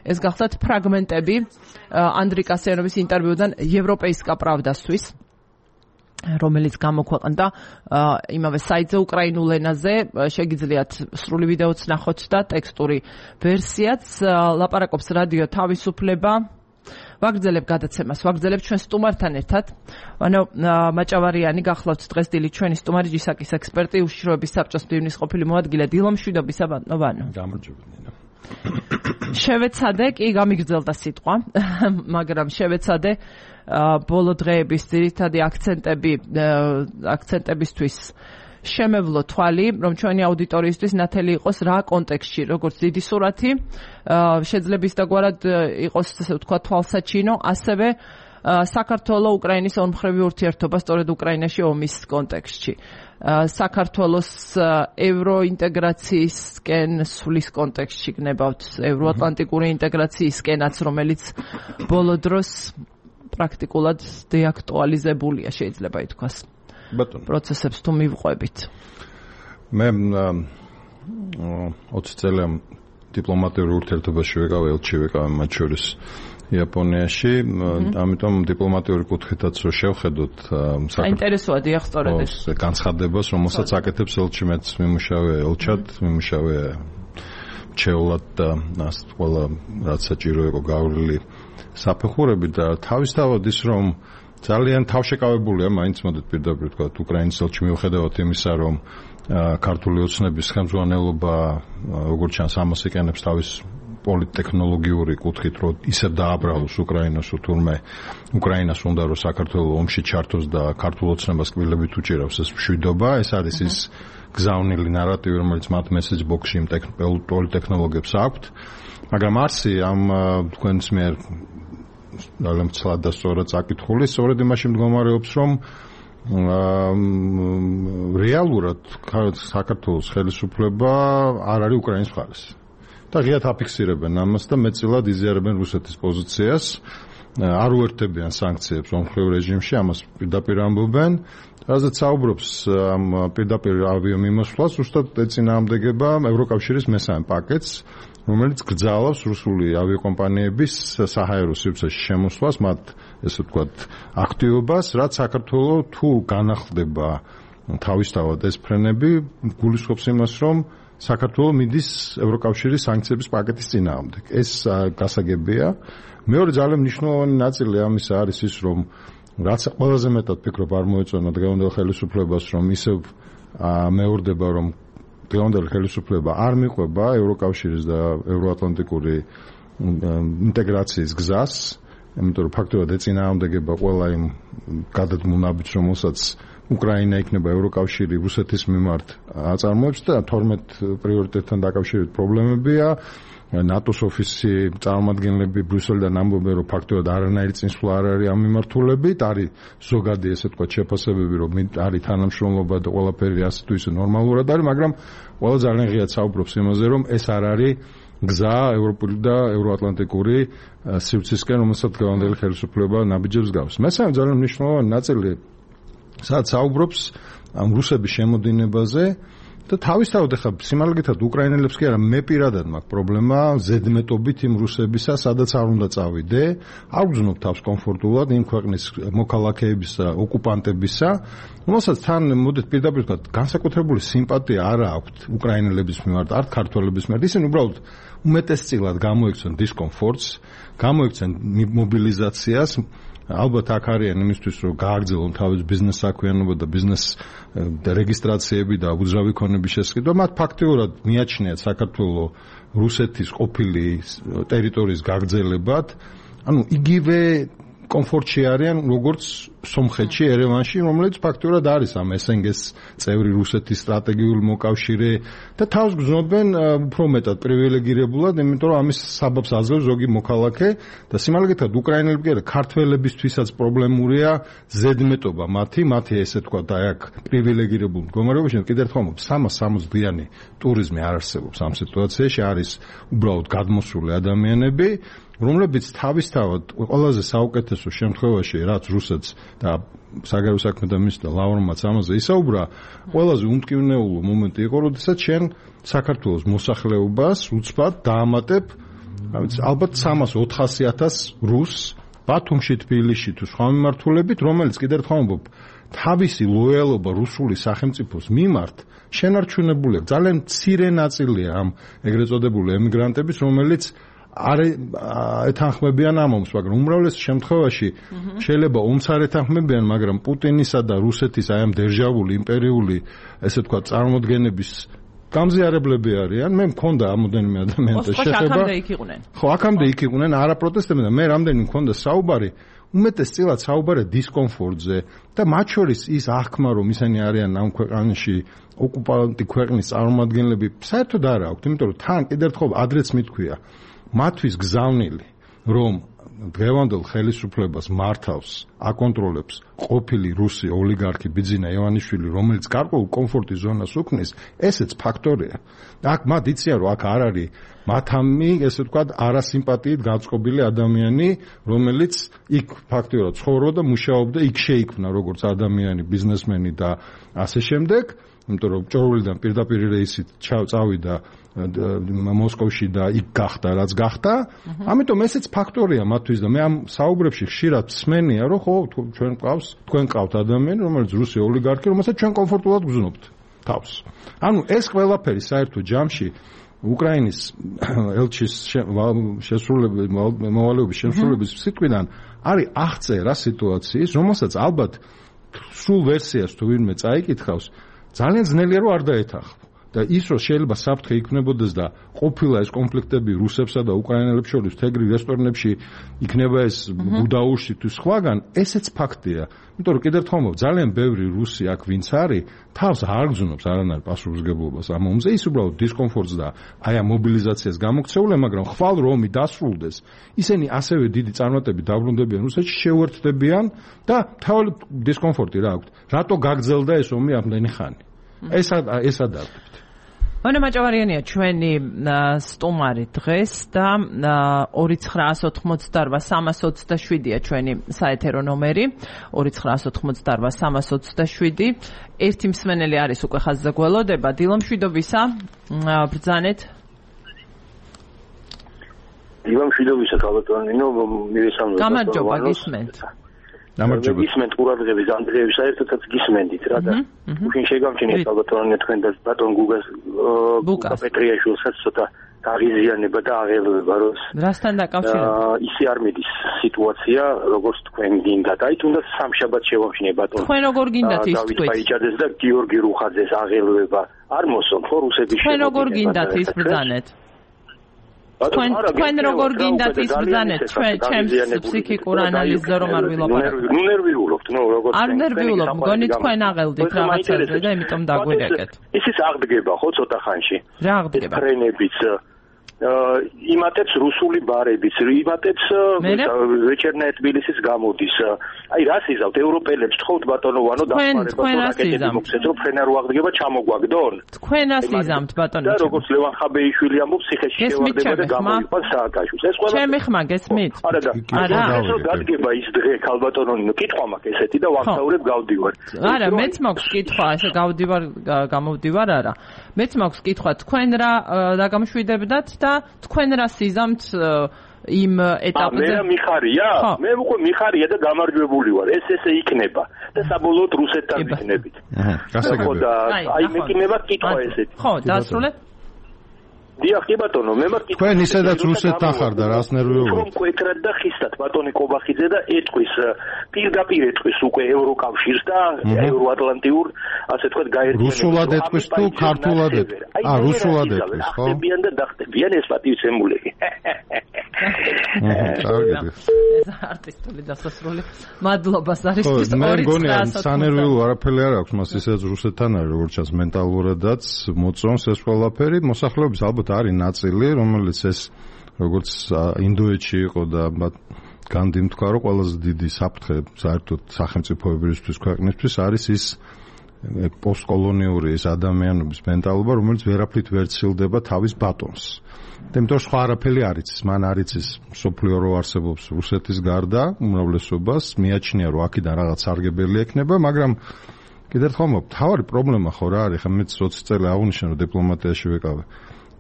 ეს გახლავთ ფრაგმენტები ანდრი კასიანოვის ინტერვიუდან ევროპეისკა პრავდასთვის, რომელიც გამოქვეყნდა იმავე საიტზე უკრაინულ ენაზე. შეგიძლიათ სრული ვიდეოც ნახოთ და ტექსტური ვერსიაც. ლაპარაკობს რადიო თავისუფლება. ვაგრძელებ გადაცემას, ვაგრძელებ ჩვენ სტუმართან ერთად. ანუ მაჭავარიანი გახლავთ დღეს დილით ჩვენი სტუმარი ჯისაკის ექსპერტი, უშიშროების საბჭოს მდივნის ყოფილი მოადგილე დილო მშვიდობისა ბატონო. გამარჯობებინა. შევეცადე, კი გამიგრძელდა სიტყვა, მაგრამ შევეცადე ბოლო დღეების ძირითადი აქცენტები აქცენტებისთვის შემევლო თვალი, რომ ჩვენი აუდიტორიისთვის ნათელი იყოს რა კონტექსტში, როგორც დიდი სურათი, შეძლების დაგვარად იყოს, ასე ვთქვა, თვალსაჩინო, ასევე საქართველოს უკრაინის ორმხრივი ურთიერთობა სწორედ უკრაინაში ომის კონტექსტში. საქართველოს ევროინტეგრაციისკენ სulis კონტექსტში გნებავთ ევროატლანტიკური ინტეგრაციისკენაც, რომელიც ბოლო დროს პრაქტიკულად დეაქტუალიზებულია, შეიძლება ითქვას. პროცესებს თუ მივყვებით. მე ოცი წელი დიპლომატიურ ურთიერთობაში ვიყავ, ელჩი ვიყავ მათ შორის იაპონიაში, ამიტომ დიპლომატიური კუთხითაც რო შევხედოთ საინტერესოა დიახ სწორედ ეს განცხადებას, რომელსაც აკეთებს ელჩი, მეც მიმუშავე ელჩად, მიმუშავე მრჩევლად და ასე ყველა რაც საჭირო იყო გავლილი საფეხურები და თავისთავად ის რომ ძალიან თავშეკავებულია მაინც მოდით პირდაპირ თქვა უკრაინის ელჩი მიუხედავად იმისა რომ ქართული ოცნების ხელმძღვანელობა როგორც ჩანს ამას იყენებს თავის პოლიტექნოლოგიური კუთხით რომ ისევ დააბრალოს უკრაინას თურმე უკრაინას უნდა რომ საქართველოს ომში ჩართოს და ქართულ ოცნებას კბილებით უჭირავს ეს მშვიდობა ეს არის ის გზავნილი ნარატივი რომელიც მათ მესეჯ ბოქსში იმ პოლიტექნოლოგიებს აქვთ მაგრამ არსი ამ თქვენს მიერ ძალიან ცლად და სწორად წაკითხული სწორედ იმაში მდგომარეობს რომ რეალურად საქართველოს ხელისუფლება არ არის უკრაინის მხარეს და ღიად აფიქსირებენ ამას და მეტწილად იზიარებენ რუსეთის პოზიციას არ უერთდებიან სანქციებს ომხრივ რეჟიმში ამას პირდაპირ ამბობენ რაზეც საუბრობს ამ პირდაპირ ავიამიმოსვლას ზუსტად ეწინააღმდეგება ევროკავშირის მესამე პაკეტს რომელიც გრძალავს რუსული ავიაკომპანიების საჰაერო სივრცეში შემოსვლას მათ ესე ვთქვათ აქტივობას რაც საქართველოს თუ განახლდება თავისთავად ეს ფრენები გულისხმობს იმას რომ საქართველოს მიდის ევროკავშირის სანქციების პაკეტის წინააღმდეგ ეს გასაგებია მეორე ძალიან მნიშვნელოვანი ნაწილი ამისა არის ის რომ რაც ყველაზე მეტად ფიქრობ არ მოეწონა დღევანდელ ხელისუფლებას რომ ისევ მეორდება რომ დღევანდელი ხელისუფლება არ მიყვება ევროკავშირის და ევროატლანტიკური ინტეგრაციის გზას, იმიტომ რომ ფაქტობრივად ეწინააღმდეგება ყველა იმ გადადგმულ ნაბიჯს, რომელსაც უკრაინა იქნება ევროკავშირი რუსეთის მიმართ აწარმოებს და თორმეტ პრიორიტეტთან დაკავშირებით პრობლემებია. ნატოს ოფისი წარმომადგენლები ბრიუსელიდან ამბობენ, რომ ფაქტობრივად არანაირი წინსვლა არ არის ამ მიმართულებით, არის ზოგადი ესე თქვა შეფასებები, რომ არის თანამშრომლობა და ყველაფერი ასე თუ ისე ნორმალურად არის, მაგრამ ყველა ძალიან ღიად საუბრობს იმაზე, რომ ეს არ არის გზა ევროპული და ევროატლანტიკური სივრცისკენ, რომელსაც დღევანდელი ხელისუფლება ნაბიჯებს გავს. მესამე ძალიან მნიშვნელოვანი ნაწილი, სადაც საუბრობს ამ რუსების შემოდინებაზე და თავისთავად ახლა სიმართლედ უკრაინელებს კი არა მე პირადად მაქვს პრობლემა ზედმეტობით იმ რუსებისა, სადაც არ უნდა წავიდე, არ გძნობ თავს კომფორტულად იმ ქვეყნის მოქალაქეებისა, ოკუპანტებისა, რომელსაც თან მოდით პირდაპირ ვთქვათ, განსაკუთრებული სიმპათია არ აქვთ უკრაინელების მიმართ, არ ქართველების მიმართ, ისინი უბრალოდ უმეტესწილად გამოიქცენ დისკომფორტს, გამოიქცენ მობილიზაციას. ალბათ აქ არიან იმისთვის, რომ გააგრძელონ თავის ბიზნეს საქმიანობა და ბიზნეს რეგისტრაციები და უძრავი ქონების შესყიდვა. მათ ფაქტიურად მიაჩნიათ საქართველოს რუსეთის ყოფილი ტერიტორიის გაგრძელებად. ანუ იგივე კომფორტში არიან, როგორც სომხეთში, ერევანში, რომელიც ფაქტიურად არის ამ ეს ენ გი-ს წევრი რუსეთის სტრატეგიული მოკავშირე და თავს გრძნობენ უფრო მეტად პრივილეგირებულად, იმიტომ რომ ამის საბაბს აძლევს ზოგი მოქალაქე და სიმართლედ უკრაინელები კი არა, ქართველებისთვისაც პრობლემურია ზედმეტობა მათი, მათი ესე თქვა და აქ პრივილეგირებულ მდგომარეობაში კიდევ ერთხელ ვამბობ, სამას სამოცდიანი ტურიზმი არ არსებობს ამ სიტუაციაში, არის უბრალოდ გადმოსული ადამიანები რომლებიც თავისთავად ყველაზე საუკეთესო შემთხვევაში რაც რუსეთს და საგარეო საქმეთა მინისტრ ლავროვმაც ამაზე ისაუბრა, ყველაზე უმტკივნეულო მომენტი იყო, როდესაც შენ საქართველოს მოსახლეობას უცბად დაამატებ, ალბათ სამას ოთხასი ათას რუსს ბათუმში, თბილისში თუ სხვა მიმართულებით, რომელიც კიდევ ერთხელ ვამბობ, თავისი ლოიალობა რუსული სახელმწიფოს მიმართ შენარჩუნებული აქვს. ძალიან მცირე ნაწილია ამ ეგრეთ წოდებული ემიგრანტების, რომელიც არ ეთანხმებიან ამ ომს, მაგრამ უმრავლეს შემთხვევაში შეიძლება ომს არ ეთანხმებიან, მაგრამ პუტინისა და რუსეთის აი ამ დერჟავული იმპერიული, ესე თქვა, წარმოდგენების გამზიარებლები არიან. მე მქონდა ამოდენიმე ადამიანთან შეხება. აქამდე იქ იყვნენ. ხო, აქამდე იქ იყვნენ, არა პროტესტებდნენ და მე რამდენი მქონდა საუბარი, უმეტესწილად საუბარი დისკომფორტზე და მათ შორის ის აღქმა, რომ ისინი არიან ამ ქვეყანაში ოკუპანტი ქვეყნის წარმომადგენლები, საერთოდ არ აქვთ, იმიტომ რომ თან კიდევ ერთხელ ადრეც მithქვია მათთვის გზავნილი, რომ დღევანდელ ხელისუფლებას მართავს, აკონტროლებს ყოფილი რუსი ოლიგარქი ბიძინა ივანიშვილი, რომელიც გარკვეულ კომფორტის ზონას უქმნის, ესეც ფაქტორია. აქ მათ იციან, რომ აქ არ არის მათამი, ესე ვთქვათ, არასიმპათიით გაწყობილი ადამიანი, რომელიც იქ ფაქტიურად ცხოვრობდა, მუშაობდა, იქ შეიქმნა როგორც ადამიანი, ბიზნესმენი და ასე შემდეგ, იმიტომ რომ ჭორულიდან პირდაპირ რეისით წავიდა მოსკოვში და იქ გახდა რაც გახდა. ამიტომ ესეც ფაქტორია მათთვის და მე ამ საუბრებში ხშირად მსმენია, რომ ხო, ჩვენ ყავს, თქვენ ყავთ ადამიანი, რომელიც რუსი ოლიგარქი, რომელსაც ჩვენ კომფორტულად გრძნობთ თავს. ანუ ეს ყველაფერი საერთო ჯამში უკრაინის ელჩის შესრულების მოვალეობის შესრულების სიტყვიდან არის აღწერა სიტუაციის, რომელსაც ალბათ სულ ვერსიას თუ ვინმე წაიკითხავს, ძალიან ძნელია რომ არ დაეთანხმო. და ის რომ შეიძლება საფრთხე იქნებოდეს და ყოფილა ეს კონფლიქტები რუსებსა და უკრაინელებს შორის თეგრი რესტორნებში იქნება ეს ბუდაურში თუ სხვაგან, ესეც ფაქტია. იმიტომ რომ კიდევ ერთხელ მომო ძალიან ბევრი რუსი აქ ვინც არის, თავს არ გძნობს არანაირ პასუხისმგებლობას ამ ომზე, ის უბრალოდ დისკომფორტს და აი ამ მობილიზაციას გამოგცეულია, მაგრამ ხვალ რომ ომი დასრულდეს, ისინი ასევე დიდი წარმატებით დაბრუნდებიან რუსეთში, შეუერთდებიან და თავი დისკომფორტი რა აქვთ. რატო გაგრძელდა ეს ომი ამდენი ხანი? ეს ეს ადარდებთ. მანე მაჭავარიანია ჩვენი სტუმარი დღეს და ორი ცხრაას ოთხმოცდაოთხ სამას ოცდაშვიდია ჩვენი საეთერო ნომერი ორი ცხრაას ოთხმოცდაოთხ სამას ოცდაშვიდი. ერთი მსმენელი არის უკვე ხაზზე გველოდება. დილო მშვიდობისა, ბრძანეთ. დილო მშვიდობისა, ქალბატონინო, მივესალმებით. გამარჯობა, გისმენთ. გამარჯობა. გისმენთ ყურადღების ანდრეევის საერთოდაც გისმენდით რა და უშინ შეგამჩნიეთ ქალბატონინო თქვენ და ბატონ გუგას გუგა პეტრიაშვილსაც ცოტა დაღიზიანება და აღელვება როს რასთან დაკავშირებით ისე არ მიდის სიტუაცია როგორც თქვენ გინდათ აი თუნდაც სამშაბათ შევამჩნიე ბატონ თქვენ როგორ გინდათ ის თქვით დავით ბაიჭაძეს და გიორგი რუხაძეს აღელვება არ მოსონ ხო რუსების თქვენ როგორ გინდათ ის ბრძანეთ თქვენ თქვენ როგორ გინდათ ის ბრძანეთ ჩვენ ჩემს ფსიქიკურ ანალიზზე რომ არ ვილაპარაკო ნუ ნერვიულობთ ნუ როგორ არ ნერვიულობ მგონი თქვენ აღელდით რაღაცაზე და იმიტომ დაგვირეკეთ ისიც აღდგება ხო ცოტა ხანში რა აღდგება ფრენებიც იმატებს რუსული ბარებიც იმატებს ვეჩერნაე თბილისის გამოდის აი რას იზავთ ევროპელებს თხოვთ ბატონოვანო თქვენ რას იზამთ მოგცეთ რომ ფრენა რო აღდგება ჩამოგვაგდონ თქვენ რას იზამთ ბატონო და როგორც ლევან ხაბეიშვილი ამბობს ციხეში შევარდება და გამოიყვანს სააკაშვილს ეს ყველა ჩემი ხმა გესმით არა და არა ეს დადგება ის დღე ქალბატონონო კითხვა მაქვს ესეთი და ვახსაურებ გავდივარ არა მეც მაქვს კითხვა ესე გავდივარ გამოვდივარ არა მეც მაქვს კითხვა თქვენ რა დაგამშვიდებდათ და თქვენ რა სიზამთ იმ ეტაპზე მე მიხარია მე უკვე მიხარია და გამარჯვებული ვარ ეს ესე იქნება და საბოლოოდ რუსეთთან იქნებით ხო და აი მეკინება კითხვა ესეთი ხო დაასრულეთ დიახ კი ბატონო მე მაქვს თქვენ ისედაც რუსეთთან ხარ და რას ნერვიულობთ რომ კვეთრად და ხისტად ბატონი კობახიძე და ეტყვის პირდაპირ ეტყვის უკვე ევროკავშირს და ევროატლანტიურ ასე თქვა გაერთიანებას რუსულად ეტყვის თუ ქართულად ეტყვის აა რუსულად ეტყვის ხო ხდებიან და დახტებიან ეს პატივცემულები კარგი ეს არტისტული დასასრული მადლობა საერთოდ მე მგონი სანერვიულო არაფერი არ აქვს მას ისედაც რუსეთთან არის როგორც ჩანს მენტალურადაც მოწონს ეს ყველაფერი მოსახლეობის ალბათ არის ნაწილი, რომელიც ეს როგორც ინდოეთში იყო და განდიმ თქვა, რომ ყველაზე დიდი საფრთხე საერთოდ სახელმწიფოებისთვის ქვეყნისთვის არის ის პოსტკოლონიური ის ადამიანობის მენტალობა, რომელიც ვერაფრით ვერ ცილდება თავის ბატონს. და იმიტომ სხვა არაფერი არ იცის, მან არ იცის სოფლიო რო არსებობს რუსეთის გარდა უმრავლესობას, მიაჩნია რომ აქედან რაღაც სარგებელი ექნება, მაგრამ კიდევ ერთხელ მთავარი პრობლემა ხო რა არის, ხა მეც ოცი წელი აღნიშნე რომ დიპლომატიაში ვიყავი.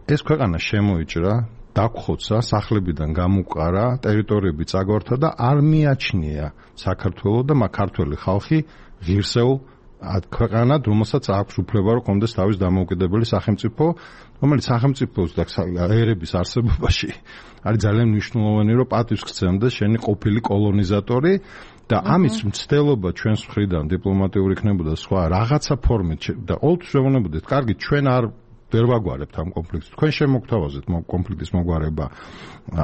ეს ქვეყანა შემოიჭრა, დაგხოცა, სახლებიდან გამუყარა, ტერიტორიები წაგვართა და არ მიაჩნია საქართველოს და ქართველი ხალხი ღირსეულ ქვეყანად, რომელსაც აქვს უფლება რომ კონდეს თავის დამოუკიდებელი სახელმწიფო, რომელიც სახელმწიფოს და ერების არსებობაში არის ძალიან მნიშვნელოვანი, რომ პატივს გცემდეს შენი ყოფილი კოლონიზატორი და ამის მცდელობა ჩვენს მხრიდან დიპლომატიური იქნებოდა სხვა რაღაცა ფორმით და ყოველთვის ვეუბნებოდით, კარგი, ჩვენ არ ვერ ვაგვარებთ ამ კონფლიქტს. თქვენ შემოგთავაზეთ კონფლიქტის მოგვარება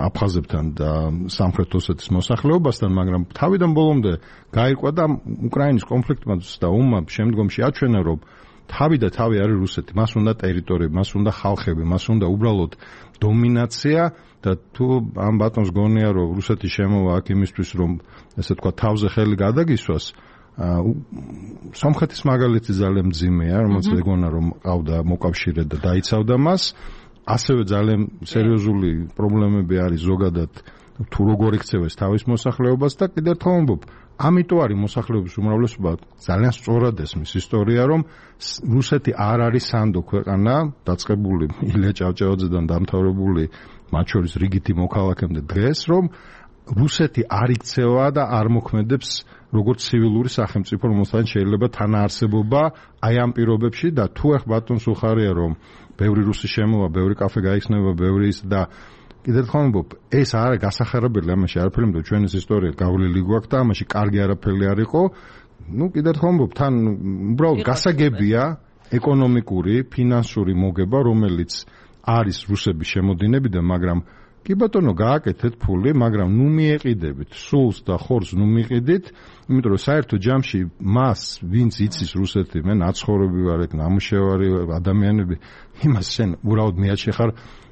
აფხაზებთან და სამხრეთ ოსეთის მოსახლეობასთან, მაგრამ თავიდან ბოლომდე გაირკვა და უკრაინის კონფლიქტმა და ომმა შემდგომში აჩვენა, რომ თავი და თავი არის რუსეთი. მას უნდა ტერიტორიები, მას უნდა ხალხები, მას უნდა უბრალოდ დომინაცია და თუ ამ ბატონს გონია, რომ რუსეთი შემოვა აქ იმისთვის, რომ ესე თქვა თავზე ხელი გადაგისვას, სომხეთის მაგალითი ძალიან მძიმეა, რომელიც ეგონა რომ ყავდა მოკავშირე და დაიცავდა მას. ასევე ძალიან სერიოზული პრობლემები არის ზოგადად თუ როგორ იქცევეს თავის მოსახლეობას და კიდევ ერთხელ ვამბობ, ამიტომ არის მოსახლეობის უმრავლესობა ძალიან სწორად ესმის ისტორია, რომ რუსეთი არ არის სანდო ქვეყანა, დაწყებული ილია ჭავჭავაძედან დამთავრებული მათ შორის რიგითი მოქალაქემდე დღეს, რომ რუსეთი არ იქცევა და არ მოქმედებს როგორც ცივილური სახელმწიფო, რომელსაც შეიძლება თანაარსებობა აი ამ პირობებში და თუ ახ ბატონ სულხარია რომ ბევრი რუსი შემოვა, ბევრი კაფე გაიხსნება, ბევრი ის და კიდევ თქვა მომბობ, ეს არა გასახარებელი, ამაში არაფერი მეტყვი ჩვენის ისტორია გავლილი გვაქვს და ამაში კარგი არაფერი არ იყო. ნუ კიდევ თქვა მომბობ, თან უბრალოდ გასაგებია ეკონომიკური, ფინანსური მოგება, რომელიც არის რუსების შემოდინებიდან, მაგრამ კი ბატონო გააკეთეთ ფული, მაგრამ ნუ მიეყიდებით, სულს და ხორცს ნუ მიყიდით, იმიტომ რომ საერთო ჯამში მას, ვინც იცის რუსეთი, მე ნაცხოვრები ვარ ეგ, ნამუშევარი ადამიანები, იმას შენ უბრალოდ მიაჩნი ხარ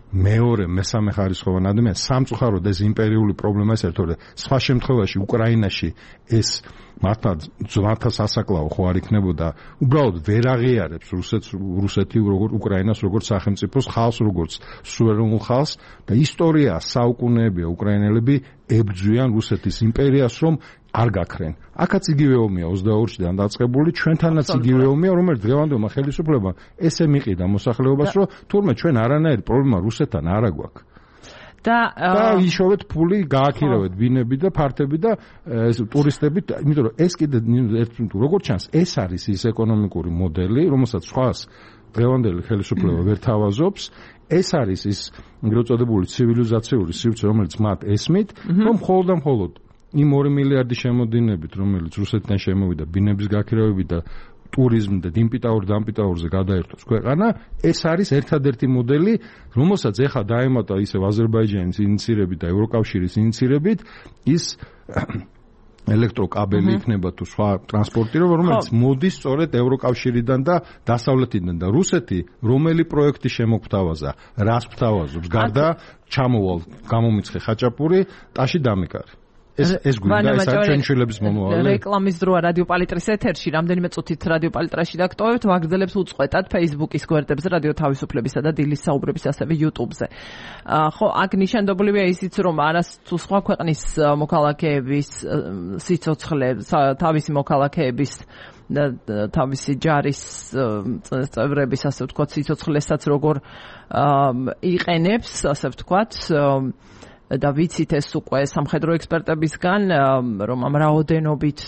მეორე, მესამე ხარისხოვანი ადამიანი, სამწუხაროდ ეს იმპერიული პრობლემა ეს ერთო, სხვა შემთხვევაში უკრაინაში ეს მართლა ძვანთა სასაკლაო ხო არ იქნებოდა, უბრალოდ ვერ აღიარებს რუსეთს, რუსეთი როგორც უკრაინას, როგორც სახელმწიფოს ხალხს, როგორც სუვერენულ ხალხს და ისტორია საუკუნეებია უკრაინელები ებრძვიან რუსეთის იმპერიას, რომ არ გაქრენ. აქაც იგივე ომია ოცდაორიდან დაწყებული, ჩვენთანაც იგივე ომია, რომელიც დღევანდელმა ხელისუფლებამ ესე მიყიდა მოსახლეობას, რომ თურმე ჩვენ არანაირი პრობლემა რუსეთთან არ აგვაქვს. და იშოვეთ ფული, გააქირავეთ ბინები და ფართები და ტურისტები, იმიტომ რომ ეს კიდე როგორც ჩანს, ეს არის ის ეკონომიკური მოდელი, რომელსაც სხვას დღევანდელი ხელისუფლება ვერ თავაზობს. ეს არის ის ეგრეთ წოდებული ცივილიზაციური სივრცე, რომელიც მათ ესმით, რომ მხოლოდ და მხოლოდ იმ ორი მილიარდი შემოდინებით, რომელიც რუსეთიდან შემოვიდა ბინების გაქირავებით და ტურიზმ და დიმპიტაურ დამპიტაურზე გადაერთოს ქვეყანა, ეს არის ერთადერთი მოდელი, რომელსაც ეხა დაემატა ისევ აზერბაიჯანის ინიციირებით და ევროკავშირის ინიციირებით ის ელექტროკაბელი იქნება თუ სხვა ტრანსპორტირო, რომელიც მოდის სწორედ ევროკავშირიდან და დასავლეთიდან და რუსეთი რომელი პროექტი შემოგთავაზა, რას გვთავაზობს, გარდა ჩამოვალ გამომიცხე ხაჭაპური, ტაში დამიკარი. ეს ეს გვინდა ეს არის ჩვენი შვილების მომავალი. რეკლამის დროა რადიო პალიტრის ეთერში, რამდენიმე წუთით რადიო პალიტრაში დაგტოვებთ, ვაგრძელებს უწყვეტად Facebook-ის გვერდებზე, რადიო თავისუფლებისა და დილის საუბრების, ასევე YouTube-ზე. ხო, აქ ნიშანდობლივია ისიც, რომ არასთუ სხვა ქვეყნის მოქალაქეების სიცოცხლე, თავისი მოქალაქეების და თავისი ჯარის წევრების, ასე ვთქვათ, სიცოცხლესაც როგორ იყენებს, ასე ვთქვათ, და ვიცით ეს უკვე სამხედრო ექსპერტებისგან, რომ ამ რაოდენობით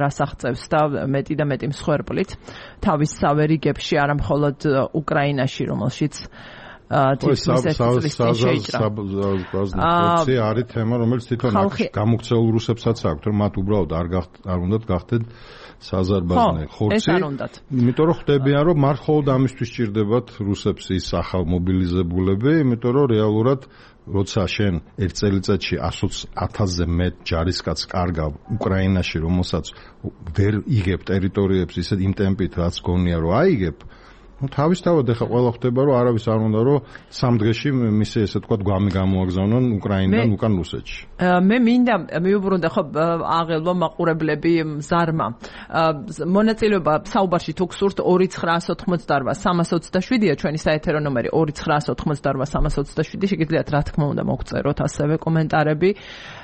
რას აღწევს და მეტი და მეტი მსხვერპლით თავის სავერიგებში, არა მხოლოდ უკრაინაში, რომელშიც თითქმის ეს წლისთვის შეიჭრა. აა არის თემა, რომელიც თვითონ გამოქცეულ რუსებსაც აქვს, რომ მათ უბრალოდ არ არ უნდათ გახდეთ საზარბაზნე ხორცი. იმიტომ რომ ხდებიან, რომ მათ მხოლოდ ამისთვის სჭირდებათ რუსებს ის ახალ მობილიზებულები, იმიტომ რომ რეალურად როცა შენ ერთ წელიწადში ათასზე მეტ ჯარისკაცს კარგავ უკრაინაში, რომელსაც ვერ იგებ ტერიტორიებს ისეთ იმ ტემპით, რაც გონია რომ აიგებ, ну თავისთავად ეხა ყველა ხდება რომ არავის არ უნდა რომ სამ დღეში მისი ესე თქვა გვამი გამოაგზავნონ უკრაინიდან უკან რუსეთში. მე მინდა მიუბრუნდა ხო აღელვა მაყურებლები ზარმა. მონაწილეობა საუბარში თუ გსურთ ორი ცხრაას ოთხმოცდაოთხ სამას ოცდაშვიდია ჩვენი საეთერო ნომერი ორი ცხრაას ოთხმოცდაოთხ სამას ოცდაშვიდი, შეგიძლიათ რა თქმა უნდა მოგწეროთ ასევე კომენტარები.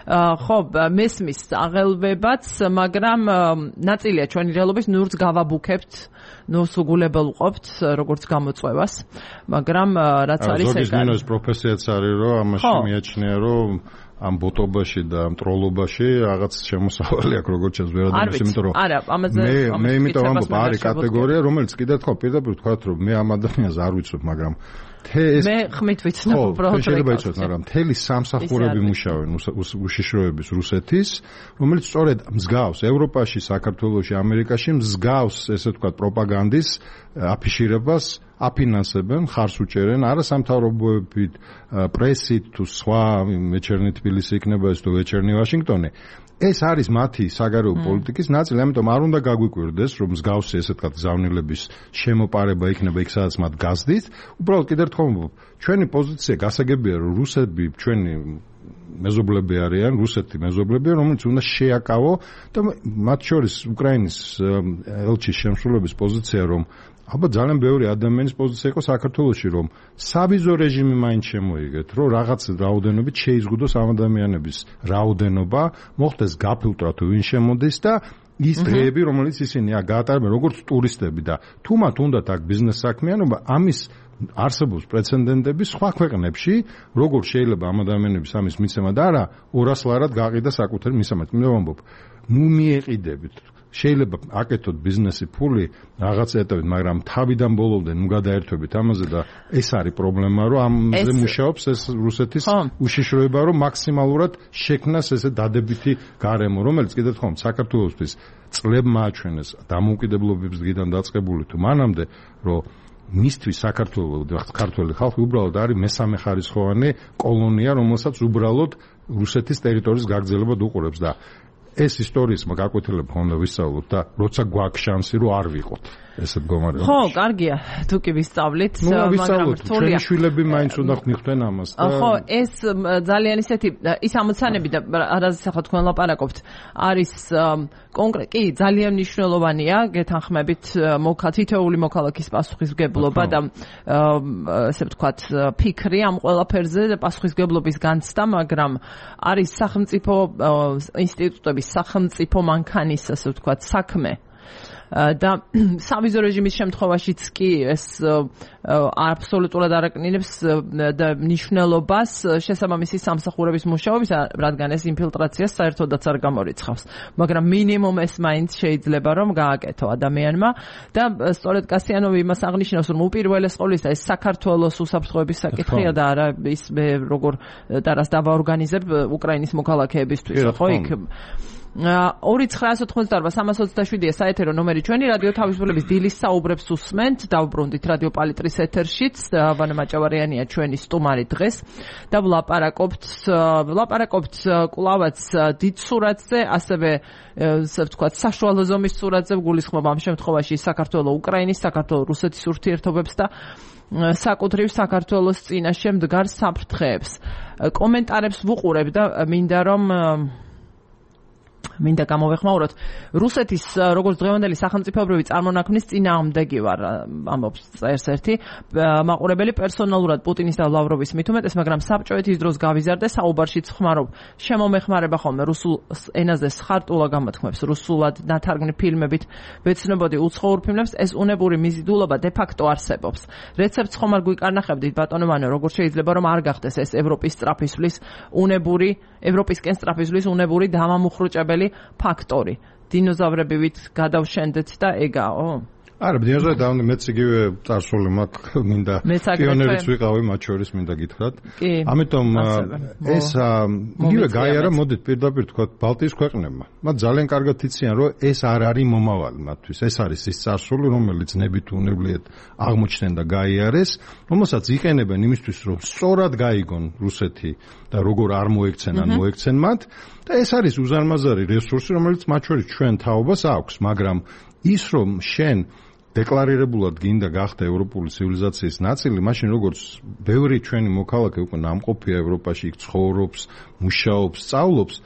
ხო, მესმის აღელვებაც, მაგრამ ნაწილია ჩვენი რეალობის, ნურც გავაბუქებთ, ნურს უგულებელ ვყოფთ როგორც გამოწვევას, მაგრამ რაც არის ეგ არის. ზოგის პროფესიაც არის, რომ ამაში მიაჩნია, რომ ამ ბოტობაში და ამ ტროლობაში რაღაც შემოსავალი აქვს, როგორც ჩანს ვერადამის, იმიტომ რომ არა, ამაზე მე იმიტომ ამბობ, არის კატეგორია, რომელიც კიდევ თქვა პირდაპირ თქვათ, რომ მე ამ ადამიანს არ ვიცნობ, მაგრამ მე ხმით ვიცნობ უბრალოდ. შეიძლება იცოდეთ, მაგრამ მთელი სამსახურები მუშაობენ უშიშროების რუსეთის, რომელიც სწორედ მსგავს ევროპაში, საქართველოში, ამერიკაში მსგავს, ესე ვთქვათ, პროპაგანდის აფიშირებას აფინანსებენ, ხარს უჭერენ, არა სამთავრობოებით, პრესით თუ სხვა ვეჩერნი თბილისი იქნება ეს თუ ვეჩერნი ვაშინგტონი. ეს არის მათი საგარეო პოლიტიკის ნაწილი, ამიტომ არ უნდა გაგვიკვირდეს, რომ მსგავსი ესე ვთქვათ გზავნილების შემოპარება იქნება იქ, სადაც მათ გაზდით. უბრალოდ კიდევ ერთხელ ვამბობ, ჩვენი პოზიცია გასაგებია, რომ რუსები ჩვენი მეზობლები არიან, რუსეთი მეზობლებია, რომელიც უნდა შეაკავო და მათ შორის უკრაინის ელჩის შემსრულების პოზიცია, რომ ალბათ ძალიან ბევრი ადამიანის პოზიცია იყო საქართველოში, რომ სავიზო რეჟიმი მაინც შემოიგეთ, რომ რაღაც რაოდენობით შეიზღუდოს ამ ადამიანების რაოდენობა, მოხდეს გაფილტრა თუ ვინ შემოდის და ის დღეები, რომელიც ისინი გაატარებენ როგორც ტურისტები და თუ მათ უნდათ აქ ბიზნეს საქმიანობა, ამის არსებობს პრეცედენტები სხვა ქვეყნებში, როგორ შეიძლება ამ ადამიანების ამის მიცემა და არა ორას ლარად გაყიდა საკუთარი მისამართი. მე ვამბობ, ნუ მიეყიდებით. შეიძლება აკეთოთ ბიზნესი ფული რაღაც ეტაპით, მაგრამ თავიდან ბოლომდე ნუ გადაერთვებით ამაზე და ეს არის პრობლემა, რომ ამაზე მუშაობს ეს რუსეთის უშიშროება, რომ მაქსიმალურად შექმნას ესე დადებითი გარემო, რომელიც კიდევ თქვა საქართველოსთვის წლებმა აჩვენეს დამოუკიდებლობების დღიდან დაწყებული თუ მანამდე, რომ მისთვის საქართველოს ქართველი ხალხი უბრალოდ არის მესამე ხარისხოვანი კოლონია, რომელსაც უბრალოდ რუსეთის ტერიტორიის გაგრძელებად უყურებს და ეს ისტორიის გაკვეთილება ხომ ვისწავლოთ და როცა გვაქვს შანსი რომ არ ვიყოთ ესე მდგომარეობაში. ხო, კარგია, თუ კი ვისწავლით, მაგრამ რთულია. შვილები მაინც უნდა ხვდნენ ამას და ხო, ეს ძალიან ისეთი ის ამოცანები და რაზეც ახლა თქვენ ლაპარაკობთ, არის კონკრეტ კი ძალიან მნიშვნელოვანია, გეთანხმებით თითოეული მოქალაქის პასუხისმგებლობა და ესე ვთქვათ, ფიქრი ამ ყველაფერზე და პასუხისმგებლობის განცდა, მაგრამ არის სახელმწიფო ინსტიტუტების სახელმწიფო მანქანის ასე ვთქვათ საქმე და სავიზო რეჟიმის შემთხვევაშიც კი ეს აბსოლუტურად არაკნინებს და მნიშვნელობას შესაბამისი სამსახურების მუშაობის, რადგან ეს ინფილტრაციას საერთოდაც არ გამორიცხავს. მაგრამ მინიმუმ ეს მაინც შეიძლება რომ გააკეთო ადამიანმა და სწორედ კასიანოვი იმას აღნიშნავს, რომ უპირველეს ყოვლისა ეს საქართველოს უსაფრთხოების საკითხია და არა ის როგორ და რას დავაორგანიზებ უკრაინის მოქალაქეებისთვის, ხო იქ ორი ცხრაას ოთხმოცდაარბა სამას ოცდაშვიდია საეთერო ნომერი ჩვენი რადიო თავისუფლების დილის საუბრებს უსმენთ, დავბრუნდით რადიო პალიტრის ეთერშიც, ვანა მაჭავარიანია ჩვენი სტუმარი დღეს და ვლაპარაკობთ ვლაპარაკობთ კვლავაც დიდ სურათზე, ასევე ასე ვთქვათ, საშუალო ზომის სურათზე, გულისხმობ ამ შემთხვევაში საქართველოს უკრაინის, საქართველოს რუსეთის ურთიერთობებს და საკუთრივ საქართველოს წინაშე მდგარ საფრთხეებს. კომენტარებს ვუყურებ და მინდა რომ მინდა გამოვეხმაუროთ. რუსეთის როგორც დღევანდელი სახელმწიფოებრივი წარმონაქმნის წინააღმდეგი ვარ, ამბობს წერს ერთი მაყურებელი, პერსონალურად პუტინის და ლავროვის მით უმეტეს, მაგრამ საბჭოეთის დროს გავიზარდე, საუბარშიც ხმარობ. შემომეხმარება ხოლმე რუსულ ენაზე სხარტულა გამოთქმებს, რუსულად ნათარგმნი ფილმებით ვეცნობოდი უცხოურ ფილმებს, ეს უნებური მიზიდულობა de facto არსებობს. რეცეპტს ხომ არ გვიკარნახებდით ბატონო, როგორ შეიძლება რომ არ გახდეს ეს ევროპის სწრაფისვლის უნებური, ევროპისკენ სწრაფისვლის უნებური დამამუხრუჭებელი ფაქტორი. დინოზავრებივით გადავშენდეთ და ეგაო. არა, დინოზავრები და მეც იგივე წარსული მაქვს, მინდა პიონერიც ვიყავი მათ შორის, მინდა გითხრათ. ამიტომ ეს იგივე გაიარა, მოდით პირდაპირ თქვათ ბალტიის ქვეყნებმა. მათ ძალიან კარგად იციან, რომ ეს არ არის მომავალი მათთვის. ეს არის ის წარსული, რომელიც ნებით უნებლიეთ აღმოჩნდნენ და გაიარეს, რომელსაც იყენებენ იმისთვის, რომ სწორად გაიგონ რუსეთი და როგორ არ მოექცენ ან მოექცენ მათ. და ეს არის უზარმაზარი რესურსი, რომელიც მათ შორის ჩვენ თაობას აქვს, მაგრამ ის რომ შენ დეკლარირებულად გინდა გახდა ევროპული ცივილიზაციის ნაწილი, მაშინ როგორც ბევრი ჩვენი მოქალაქე უკვე ნამყოფია ევროპაში, იქ ცხოვრობს, მუშაობს, სწავლობს,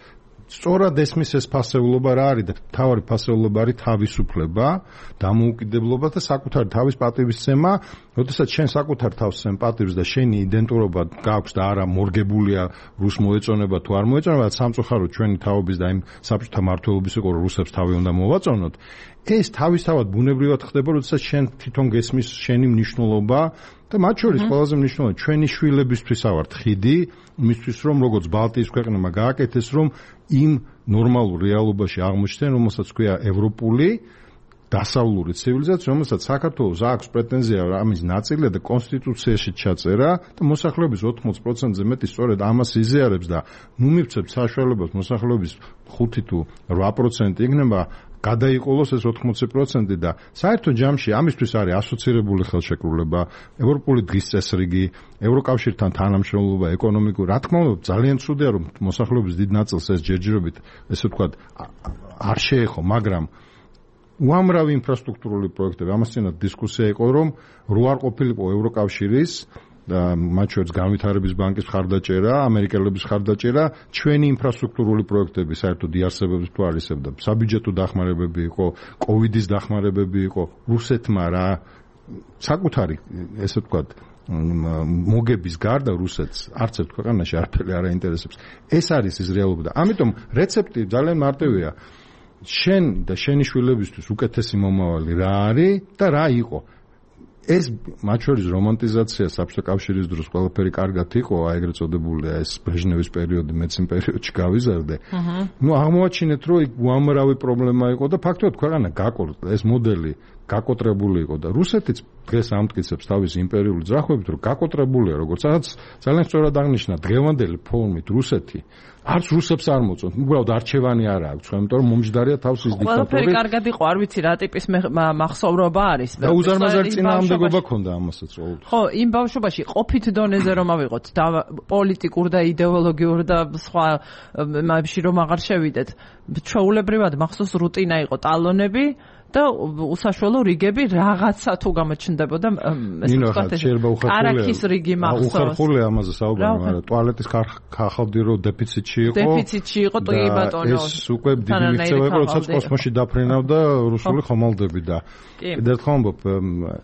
სწორად ესმის ეს ფასეულობა რა არის და თავარი ფასეულობა არის თავისუფლება, დამოუკიდებლობა და საკუთარი თავის პატივისცემა. როდესაც შენ საკუთარ თავს სცემ პატივს და შენი იდენტურობა გაქვს და არა მორგებულია რუს მოეწონება თუ არ მოეწონება, სამწუხაროდ ჩვენი თაობის და იმ საბჭოთა მმართველობის იყო რუსებს თავი უნდა მოვაწონოთ. ეს თავისთავად ბუნებრივად ხდება, როდესაც შენ თვითონ გესმის შენი მნიშვნელობა და მათ შორის ყველაზე მნიშვნელოვანი ჩვენი შვილებისთვის ავართ ხიდი, იმისთვის რომ როგორც ბალტიის ქვეყნებმა გააკეთეს, რომ იმ ნორმალურ რეალობაში აღმოჩნდნენ, რომელსაც ქვია ევროპული დასავლური ცივილიზაცია, რომელსაც საქართველოს აქვს პრეტენზია ამის ნაწილია და კონსტიტუციაში ჩაწერა და მოსახლეობის ოთხმოც პროცენტზე მეტი სწორედ ამას იზიარებს და ნუ მივცემთ საშუალებას მოსახლეობის ხუთი თუ რვა პროცენტი იქნება გადაიყოლოს ეს ოთხმოცი პროცენტი და საერთო ჯამში ამისთვის არის ასოცირებული ხელშეკრულება, ევროპული დღის წესრიგი, ევროკავშირთან თანამშრომლობა, ეკონომიკური. რა თქმა უნდა, ძალიან ცუდია რომ მოსახლეობის დიდ ნაწილს ეს ჯერჯერობით, ესე ვთქვათ, არ შეეხო, მაგრამ უამრავი ინფრასტრუქტურული პროექტები, ამასთანავე დისკუსია იყო, რომ რო არ ყოფილიყო ევროკავშირის და მათ შორის განვითარების ბანკის მხარდაჭერა, ამერიკელების მხარდაჭერა, ჩვენი ინფრასტრუქტურული პროექტები საერთოდ იარსებების თუ არ ისევ და საბიუჯეტო დახმარებები იყო, კოვიდის დახმარებები იყო, რუსეთმა რა საკუთარი, ესე ვთქვათ, მოგების გარდა რუსეთს არც ერთ ქვეყანაში არაფერი არ აინტერესებს. ეს არის ის რეალობა და ამიტომ რეცეპტი ძალიან მარტივია. შენ და შენი შვილებისთვის უკეთესი მომავალი რა არის და რა იყო. ეს მათ შორის რომანტიზაცია საბჭოთა კავშირის დროს ყველაფერი კარგად იყო, აი ეგრეთ წოდებულია ეს ბრეჟნევის პერიოდი, მეც იმ პერიოდში გავიზარდე. ნუ აღმოაჩინეთ, რომ იქ უამრავი პრობლემა იყო და ფაქტობრივად ქვეყანა გაკოტრდა, ეს მოდელი გაკოტრებული იყო და რუსეთიც დღეს ამტკიცებს თავის იმპერიული ძრახვებით, რომ გაკოტრებულია, როგორც რაღაც ძალიან სწორად აღნიშნა, დღევანდელი ფორმით რუსეთი არც რუსებს არ მოწონთ, უბრალოდ არჩევანი არ აქვს, იმიტომ რომ მომჯდარია თავს ის დიქტატორი. ყველაფერი კარგად იყო, არ ვიცი რა ტიპის მახსოვრობა არის. და უზარმაზარი წინააღმდეგობა ქონდა ამასაც ყოველთვის. ხო, იმ ბავშვობაში ყოფით დონეზე რომ ავიღოთ და პოლიტიკურ და იდეოლოგიურ და სხვა მასში რომ აღარ შევიდეთ. ჩვეულებრივად მახსოვს რუტინა იყო ტალონები და უსაშუალო რიგები რაღაცა თუ გამოჩნდებოდა ეს ვთქვათ არაქის რიგი მახსოვს. უხერხულია ამაზე საუბარი, მაგრამ ტუალეტის ხახავდი რომ დეფიციტში იყო. დეფიციტში იყო ტუი ბატონო. ეს უკვე დიდი მიღწევა იყო, როდესაც კოსმოსში დაფრენავდა რუსული ხომალდები და კიდევ ერთხელ ამბობ,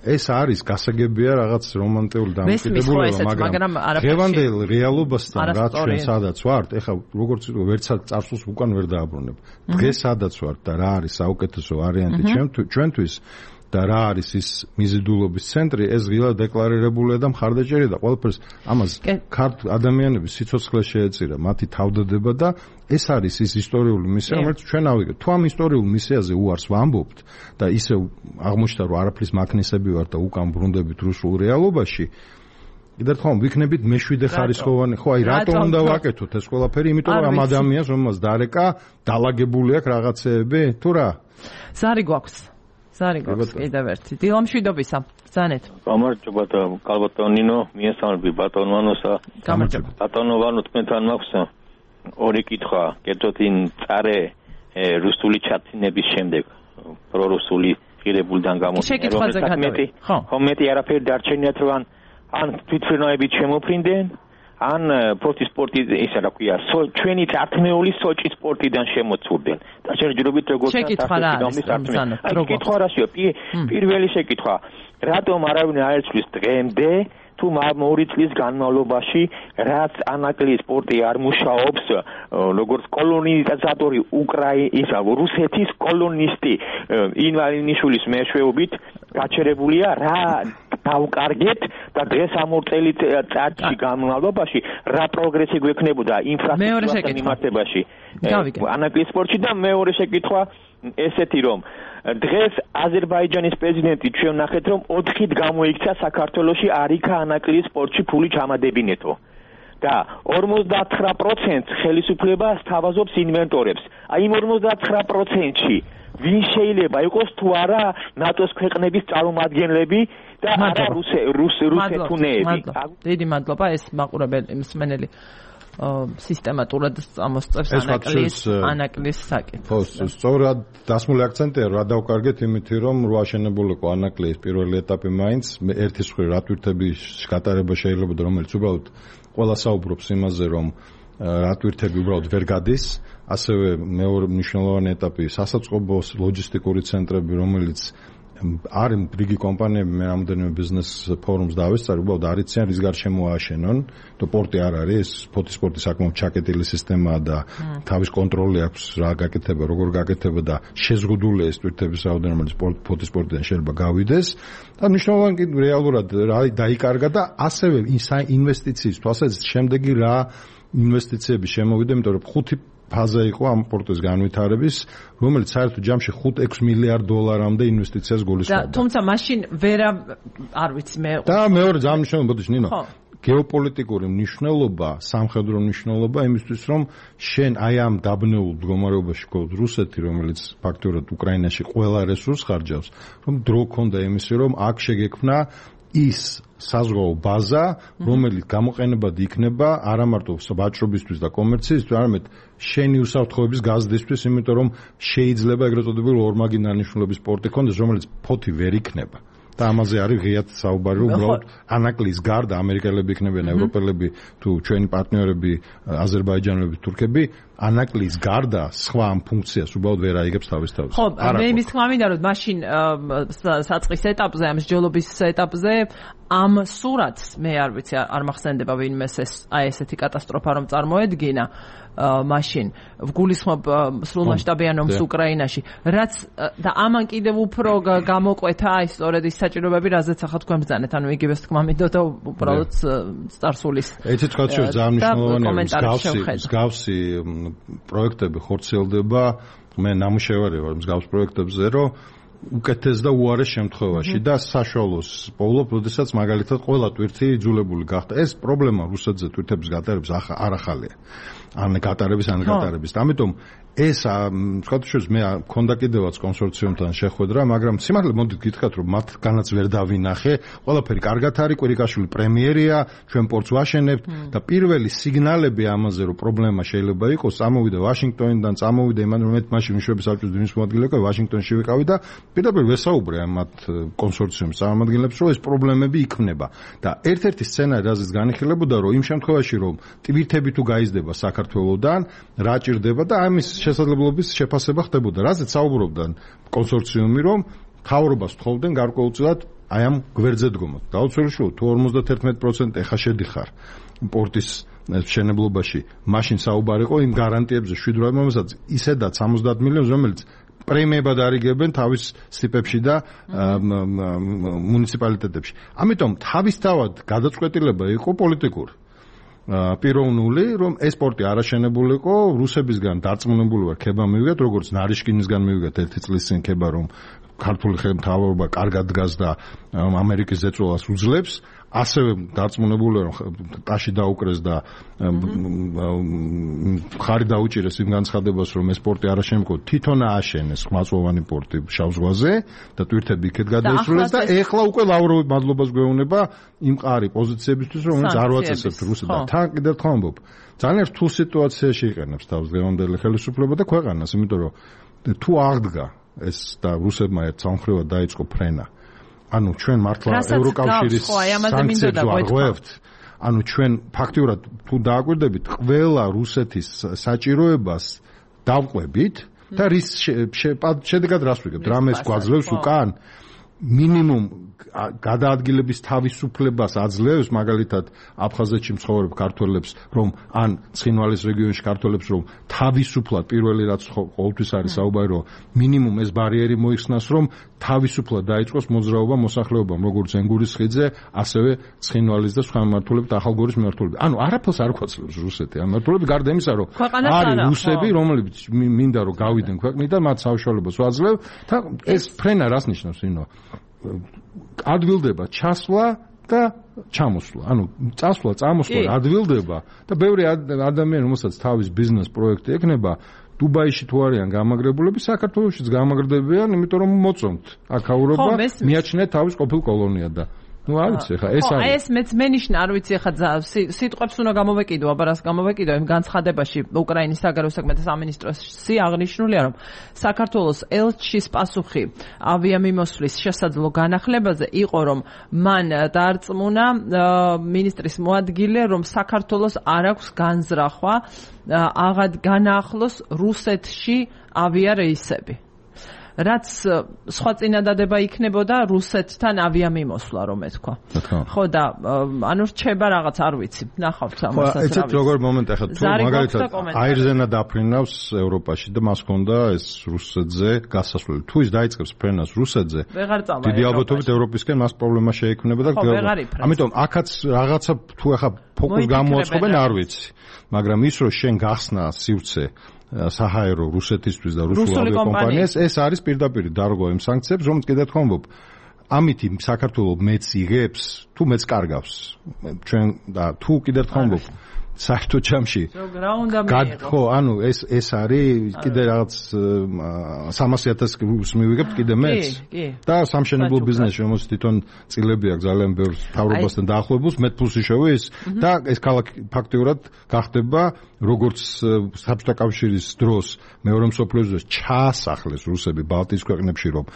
ეს არის გასაგებია რაღაც რომანტიკული დამოკიდებულება, მაგრამ დღევანდელ რეალობასთან რაც ჩვენ სადაც ვართ, ეხლა როგორც ვიტყვი, ვერცად წარსულს უკან ვერ დააბრუნებ. დღეს სადაც ვართ და რა არის საუკეთესო ვარიანტი ჩვენთვის და რა არის ის მიზიდულობის ცენტრი, ეს ღილა დეკლარირებულია და მხარდაჭერა და ყველაფერს ამას ქართულ ადამიანების სიცოცხლე შეეწირა, მათი თავდადება და ეს არის ის ისტორიული მისია, რომელიც ჩვენ ავიღეთ. თუ ამ ისტორიულ მისიაზე უარს ვამბობთ და ისე აღმოჩნდა, რომ არაფრის მაქნისები ვართ და უკან ბრუნდებით რუსულ რეალობაში, კიდევ ერთხელ ვიქნებით მეშვიდე ხარისხოვანი. ხო, აი რატომ უნდა ვაკეთოთ ეს ყველაფერი? იმიტომ რომ ამ ადამიანს რომელსაც დარეკა, დაალაგებული აქვს რაღაცეები, თუ რა? ზარი გვაქვს. ზარი გვაქვს კიდევ ერთი. დილამშვიდობისა. ბრძანეთ. გამარჯობა და კალბატონინო, მიესალმები ბატონვანოსა. გამარჯობა. ბატონოვანო, თქვენთან მაქვს ორი კითხვა. კერძოდ იმ წარე რუსული ჩაცინების შემდეგ პრორუსული ღირებულიდან გამომდინარე. ხო, ხო, მეტი არაფერი დარჩენიათ რომ ან თვითმფრინავებით შემოფრინდნენ, ან პროტი სპორტი ისა რა ქვია, ჩვენი წართმეული სოჭის სპორტიდან შემოცურდნენ. და შეიძლება როგორც შეკითხვა რაშია, პირველი შეკითხვა, რატომ არავინ არ ეცვლის დღემდე თუ ორი წლის განმავლობაში რაც ანაკლიის სპორტი არ მუშაობს როგორც კოლონიზატორი უკრაინის რუსეთის კოლონისტი ინვალინიშვილის მეშვეობით გაჩერებულია რა დავკარგეთ და დღეს ამ ორ წელიწადში განმავლობაში რა პროგრესი გვექნებოდა ინფრასტრუქტურის მიმართებაში ანაკლიის სპორტში და მეორე შეკითხვა ესეთი რომ დღეს აზერბაიჯანის პრეზიდენტი ჩვენ ნახეთ რომ ოთხით გამოიქცა საქართველოში არიქა ანაკლიის სპორტში ფული ჩამადებინეთო და ორმოცდათხრა პროცენტს ხელისუფლება სთავაზობს ინვენტორებს. აი იმ ორმოცდათხრა პროცენტში ვინ შეიძლება იყოს თუ არა ნატოს ქვეყნების წარმომადგენლები და არა რუსეთუნეები. დიდი მადლობა ეს მაყურებელი მსმენელი სისტემატურად წამოსწევს ანაკლიის ანაკლიის საკითხს. ხო, სწორად დასმული აქცენტია რა დავკარგეთ იმითი რომ რო აშენებულიყო ანაკლიის პირველი ეტაპი მაინც ერთი სხვი რატვირთების გატარება შეიძლება რომელიც უბრალოდ ყველა საუბრობს იმაზე რომ რატვირთები უბრალოდ ვერ გადის, ასევე მეორე მნიშვნელოვანი ეტაპი სასაწყობო ლოჯისტიკური ცენტრები რომელიც არის რიგი კომპანიები მე რამდენიმე ბიზნეს ფორუმს დავესწარი, უბრალოდ არიციან რის გარშემო ააშენონ, და პორტი არ არის, ფოთის სპორტი საკმაოდ ჩაკეტილი სისტემაა და თავის კონტროლი აქვს რა გაკეთება, როგორ გაკეთება და შეზღუდულია ეს ტვირთების რაოდენობა, რომელიც ფოთის სპორტიდან შეიძლება გავიდეს და მნიშვნელოვანი რეალურად რა დაიკარგა და ასევე ინვესტიციის თვალსაზრისით შემდეგი რა ინვესტიციები შემოვიდა, იმიტომ რომ ხუთი ფაზა იყო ამ პორტის განვითარების, რომელიც საერთოდ ჯამში ხუთ ექვს მილიარდ დოლარამდე ინვესტიციას გულისხმობდა. თუმცა მაშინ ვერა არ ვიცი მე. და მეორე ძალიან მნიშვნელოვანი ბოდიში ნინო. გეოპოლიტიკური მნიშვნელობა, სამხედრო მნიშვნელობა იმისთვის, რომ შენ აი ამ დაბნეულ მდგომარეობაში გქონდეს რუსეთი, რომელიც ფაქტობრივად უკრაინაში ყველა რესურსს ხარჯავს, რომ დრო ქონდა იმისი, რომ აქ შეგექმნა ის საზღვაო ბაზა, რომელიც გამოყენებად იქნება არა მარტო ვაჭრობისთვის და კომერციისთვის, არამედ შენი უსაფრთხოების გაზრდისთვის, იმიტომ რომ შეიძლება ეგრეთ წოდებული ორმაგი დანიშნულების სპორტი ქონდეს, რომელიც ფოთი ვერ იქნება. და ამაზე არის ღიად საუბარი, რომ უბრალოდ ანაკლიის გარდა ამერიკელები იქნებიან, ევროპელები თუ ჩვენი პარტნიორები, აზერბაიჯანელები, თურქები, ანაკლიის გარდა სხვა ამ ფუნქციას უბრალოდ ვერ აიგებს თავის თავს. ხო, მე იმის თქმა მინდა, რომ მაშინ საწყის ეტაპზე, ამ მსჯელობის ეტაპზე ამ სურათს მე არ ვიცი, არ მახსენდება ვინმეს ეს აი ესეთი კატასტროფა რომ წარმოედგინა. მაშინ ვგულისხმობ სრულმასშტაბიან ომს უკრაინაში, რაც და ამან კიდევ უფრო გამოყვეთა აი სწორედ ის საჭიროებები, რაზეც ახლა თქვენ ბრძანეთ, ანუ იგივეს თქმა მინდოდა უბრალოდ წარსულის. ეცეთ კაცო ძალიან მნიშვნელოვანია, მსგავსი მსგავსი პროექტები ხორციელდება, მე ნამუშევარი ვარ მსგავს პროექტებზე, რომ უკეთეს და უარეს შემთხვევაში და საშუალოს პოულობ, როდესაც მაგალითად ყველა ტვირთი იძულებული გახდა. ეს პრობლემა რუსეთზე ტვირთების გატარების არ ახალია. ან გატარების ან გატარების. ამიტომ ეს სხვათაშორის მე მქონდა კიდევაც კონსორციუმთან შეხვედრა, მაგრამ სიმართლე მოდით გითხრათ, რომ მათგანაც ვერ დავინახე. ყველაფერი კარგად არის, კვირიკაშვილი პრემიერია, ჩვენ პორტს ვაშენებთ და პირველი სიგნალები ამაზე, რომ პრობლემა შეიძლება იყოს, წამოვიდა ვაშინგტონიდან, წამოვიდა იმან, რომ მე მაშინ მშვიდობის საბჭოს დინის მოადგილე ვიყავი, ვაშინგტონში ვიყავი და პირდაპირ ვესაუბრე მათ კონსორციუმის წარმომადგენლებს, რომ ეს პრობლემები იქმნება. და ერთ-ერთი სცენარი, რაზეც განიხილებოდა, რომ იმ შემთხვევაში, რომ ტვირთები თუ გაიზრდება საქართველოსდან, რა ჭირდება და ამის შესაძლებლობის შეფასება ხდებოდა. რაზეც საუბრობდა კონსორციუმი, რომ მთავრობას თხოვდნენ გარკვეულწილად აი ამ გვერდზე დგომოთ. დაუცველიშვილო, თუ ორმოცდათერთმეტი პროცენტი ეხა შედიხარ პორტის მშენებლობაში, მაშინ საუბარი იყო იმ გარანტიებზე შვიდ რომელსაც ისედაც სამოცდაათ მილიონს, რომელიც პრემიებად არიგებენ თავის სიპებში და მუნიციპალიტეტებში. ამიტომ თავისთავად გადაწყვეტილება იყო პოლიტიკური. პიროვნული, რომ ეს პორტი არაშენებულიყო, რუსებისგან დარწმუნებული ვარ, ქება მივიღეთ, როგორც ნარიშკინისგან მივიღეთ ერთი წლის წინ ქება, რომ ქართული ხელმძღვანელობა კარგად დგას და ამერიკის ზეწოლას უძლებს, ასევე დარწმუნებული ვარ, რომ ტაში დაუკრეს და ხარი დაუჭირეს იმ განცხადებას, რომ ეს პორტი არაშენებულიყო, თვითონ ააშენეს ხმაწვოვანი პორტი შავ ზღვაზე და ტვირთები იქეთ გადაისრულეს და ეხლა უკვე ლავროვი მადლობას გვეუბნება იმ მყარი პოზიციებისთვის, რომელიც არ ვაწესებთ რუსეთს და თან კიდევ თქვა ამბობ. ძალიან რთულ სიტუაციაში იყენებს თავს დღევანდელი ხელისუფლება და ქვეყანას, იმიტომ რომ თუ აღდგა ეს და რუსებმა ერთ სამხრივად დაიწყო ფრენა. ანუ ჩვენ მართლა ევროკავშირის სანქციებს ვარღვევთ. ანუ ჩვენ ფაქტიურად თუ დააკვირდებით, ყველა რუსეთის საჭიროებას დავყვებით და რის შედეგად რას ვიგებთ? რამეს გვაძლევს უკან? მინიმუმ გადაადგილების თავისუფლებას აძლევს, მაგალითად აფხაზეთში მცხოვრებ ქართველებს, რომ ან ცხინვალის რეგიონში ქართველებს, რომ თავისუფლად პირველი რაც ყოველთვის არის საუბარი, რომ მინიმუმ ეს ბარიერი მოიხსნას, რომ თავისუფლად დაიწყოს მოძრაობა მოსახლეობამ, როგორც ენგურის ხიდზე, ასევე ცხინვალის და სხვა მმართველებით, ახალგორის მმართველები. ანუ არაფერს არ გვაძლევს რუსეთი. ამ მმართველები გარდა იმისა, რომ არის რუსები, რომლებიც მინდა რომ გავიდნენ ქვეყნიდან, მათ საშუალებას ვაძლევ და ეს ფრენა რას ნიშნავს, ინო? ადვილდება ჩასვლა და ჩამოსვლა. ანუ წასვლა, წამოსვლა ადვილდება და ბევრი ადამიანი, რომელსაც თავის ბიზნეს პროექტი ექნება, დუბაიში თუ არიან გამაგრებულები, საქართველოშიც გამაგრდებიან, იმიტომ რომ მოწონთ აქაურობა, მიაჩნიათ თავის ყოფილ კოლონიად და ну არიცი ხა ეს არის. ეს მეც მენიშნა არ ვიცი ხა სიტყვებს უნდა გამოვეკიდო, აბა რას გამოვეკიდო იმ განცხადებაში უკრაინის საგარეო საქმეთა სამინისტროსი აღნიშნულია, რომ საქართველოს ელჩის პასუხი ავიამიმოსვლის შესაძლო განახლებაზე იყო, რომ მან დაარწმუნა მინისტრის მოადგილე, რომ საქართველოს არ აქვს განზრახვა აღად განაახლოს რუსეთში ავიარეისები. რაც სხვა წინადადება იქნებოდა რუსეთთან ავიამიმოსვლა, რომ ეთქვა. ხო და ანუ რჩება რაღაც არ ვიცი. ნახავთ ამასაც. ეცეთ როგორ მომენტი ახლა თუ მაგალითად აირზენა დაფრინავს ევროპაში და მას ჰქონდა ეს რუსეთზე გასასვლელი. თუ ის დაიწყებს ფრენას რუსეთზე, დიდი ალბათობით ევროპისკენ მას პრობლემა შეექმნება და ამიტომ აქაც რაღაცა თუ ახლა ფოკუს გამოაცხობენ არ ვიცი. მაგრამ ის რომ შენ გახსნა სივრცე საჰაერო რუსეთისთვის და რუსულ ავიაკომპანიას, ეს არის პირდაპირ დარგვა იმ სანქციებს, რომელიც კიდევ თქვა ამბობ. ამით საქართველოს მეც იღებს, თუ მეც კარგავს. ჩვენ და თუ კიდევ თქვა ამბობ. საერთო ჯამში ხო, ანუ ეს ეს არის კიდე რაღაც სამასი ათასი რუბლს მივიღებთ კიდე მეც და სამშენებლო ბიზნესში, რომელსაც თვითონ წილები აქვს ძალიან ბევრ თავრობასთან დაახლოებულს, მეტ ფულს იშოვის და ეს ქალაქი ფაქტიურად გახდება როგორც საბჭოთა კავშირის დროს მეორე მსოფლიო ომის ჩაასახლეს რუსები ბალტიის ქვეყნებში, რომ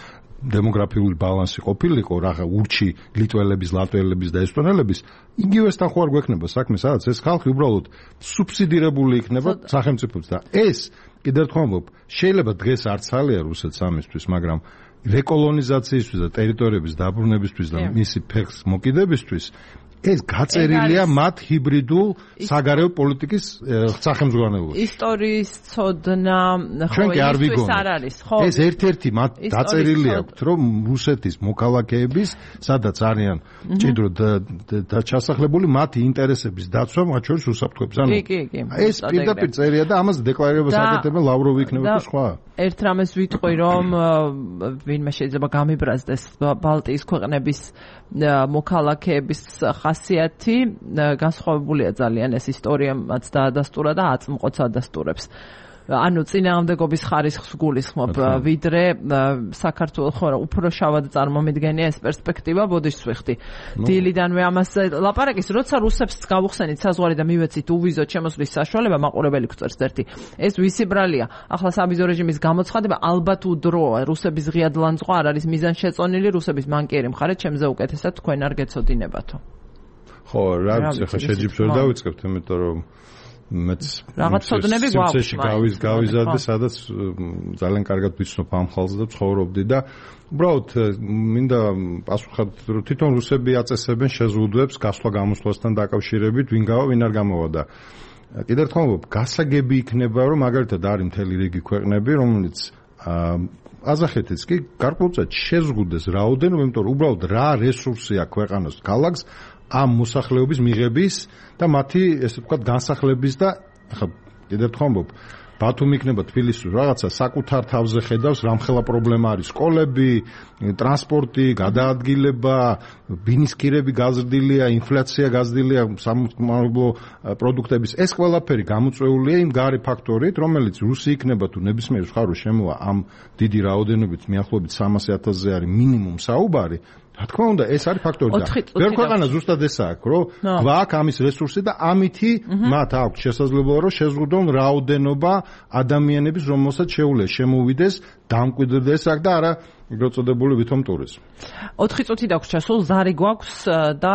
დემოგრაფიული ბალანსი ყოფილიყო, რაღა ურჩი ლიტველების, ლატველების და ესტონელების, იგივესთან ხო არ გვექნება საქმე, სადაც ეს ხალხი უბრალოდ სუბსიდირებული იქნება სახელმწიფოც და ეს კიდევ თქვა ამბობ, შეიძლება დღეს არც ალია რუსეთს ამისთვის, მაგრამ რეკოლონიზაციისთვის და ტერიტორიების დაბრუნებისთვის და მისი ფეხს მოკიდებისთვის ეს გაწერილია მათ ჰიბრიდულ საგარეო პოლიტიკის სახელმძღვანელოში. ისტორიის ცოდნა ხო ის არ არის, ხო? ეს ერთ-ერთი მათ დაწერილი აქვს, რომ რუსეთის მოქალაქეების, სადაც არიან ჭიდრო და ჩასახლებული მათი ინტერესების დაცვა, მათ შორის უსაფრთხოების. ანუ ეს პირდაპირ წერია და ამას დეკლარირებას აკეთებენ ლავროვი იქნება თუ სხვა. ერთ რამეს ვიტყვი, რომ ვინმე შეიძლება გამიბრაზდეს ბალტიის ქვეყნების მოქალაქეების ხასიათი განსხვავებულია ძალიან ეს ისტორია მათ დაადასტურა და აწმყოც ადასტურებს. ანუ წინააღმდეგობის ხარისხს გულისხმობ ვიდრე საქართველოს ხო უფრო შავად წარმომიდგენია ეს პერსპექტივა ბოდიშს ვიხდი. დილიდანვე ამას ლაპარაკის როცა რუსებს გავუხსენით საზღვარი და მივეცით უვიზოთ შემოსვლის საშუალება მაყურებელი გვწერს ერთი. ეს ვისი ბრალია? ახლა საბიზო რეჟიმის გამოცხადება ალბათ უდროა. რუსების ღიად ლანძღვა არ არის მიზანშეწონილი, რუსების მანკიერი მხარე ჩემზე უკეთესად თქვენ არ გეცოდინებათო. ხო, რა ვიცი, ხა შეჯიბშორ დავიწყებთ, იმიტომ რომ მეც რაღაც ცოდნები გვაქვს გავის გავიზარდე სადაც ძალიან კარგად ვიცნობ ამ ხალხს და ცხოვრობდი და უბრალოდ მინდა პასუხად რომ თვითონ რუსები აწესებენ შეზღუდვებს გასვლა გამოსვლასთან დაკავშირებით ვინ გავა ვინ არ გამოვა და კიდევ ერთხელ ვამბობ გასაგები იქნება რომ მაგალითად არის მთელი რიგი ქვეყნები რომელიც აზახეთიც კი გარკვეულწილად შეზღუდეს რაოდენობა იმიტომ რომ უბრალოდ რა რესურსი აქვს ქვეყანას ქალაქს ამ მოსახლეობის მიღების და მათი ესე ვთქვათ განსახლების და ახლა კიდევ ერთხელ ვამბობ ბათუმი იქნება თბილისში რაღაცა საკუთარ თავზე ხედავს რამხელა პრობლემა არის სკოლები, ტრანსპორტი, გადაადგილება, ბინისკირები გაზრდილია, ინფლაცია გაზრდილია, სამომავლო პროდუქტების ეს ყველაფერი გამოწვეულია იმ გარე ფაქტორით, რომელიც რუსი იქნება თუ ნებისმიერ მხარეს შემოვა ამ დიდი რაოდენობით მიახლოებით სამასი ათასზე არის მინიმუმ საუბარი რა თქმა უნდა ეს არის ფაქტორი და ვერ ქვეყანა ზუსტად ესაა აქვს რომ გვაქვს ამის რესურსი და ამითი მათ აქვს შესაძლებლობა რომ შეზღუდონ რაოდენობა ადამიანების რომელსაც შეუძლია შემოვიდეს დამკვიდრდეს აქ და არა ეგრეთ წოდებული ვითომ ტურიზმი. ოთხი წუთი დაგვჭირდა სულ ზარი გვაქვს და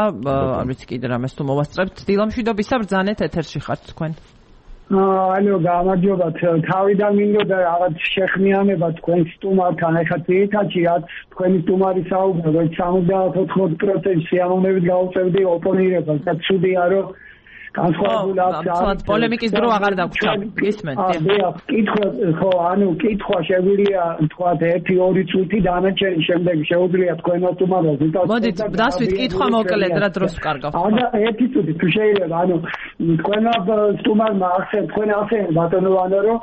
არ ვიცი კიდე რამეს თუ მოვასწრებთ დილამშვიდობისა ბრძანეთ ეთერში ხართ თქვენ. ანუ გამარჯობა თავიდან მინდოდა რაღაც შეხმიანება თქვენ სტუმართან ეხლა ძირითადად რაც თქვენი სტუმარი საუბრობ რომ სამოცდაათ ოთხმოცდ პროცენტი სიამოვნებით გაუწევდი ოპონირებას და ცუდია რომ განსხვავებული აქვს პოლემიკის დრო აღარ დაგვჭა გისმენთ აა კითხვა ხო ანუ კითხვა შეგვიძლია თქვა ერთი ორი წუთი დანარჩენი შემდეგ შეუძლია თქვენო სტუმარს ვიტყოდ მოდით დასვით კითხვა მოკლედ რა დროს ვკარგავთ ანუ ერთი წუთი თუ შეიძლება ანუ თქვენო სტუმარმა ახსენ თქვენ ახსენ ბატონო ვანო რომ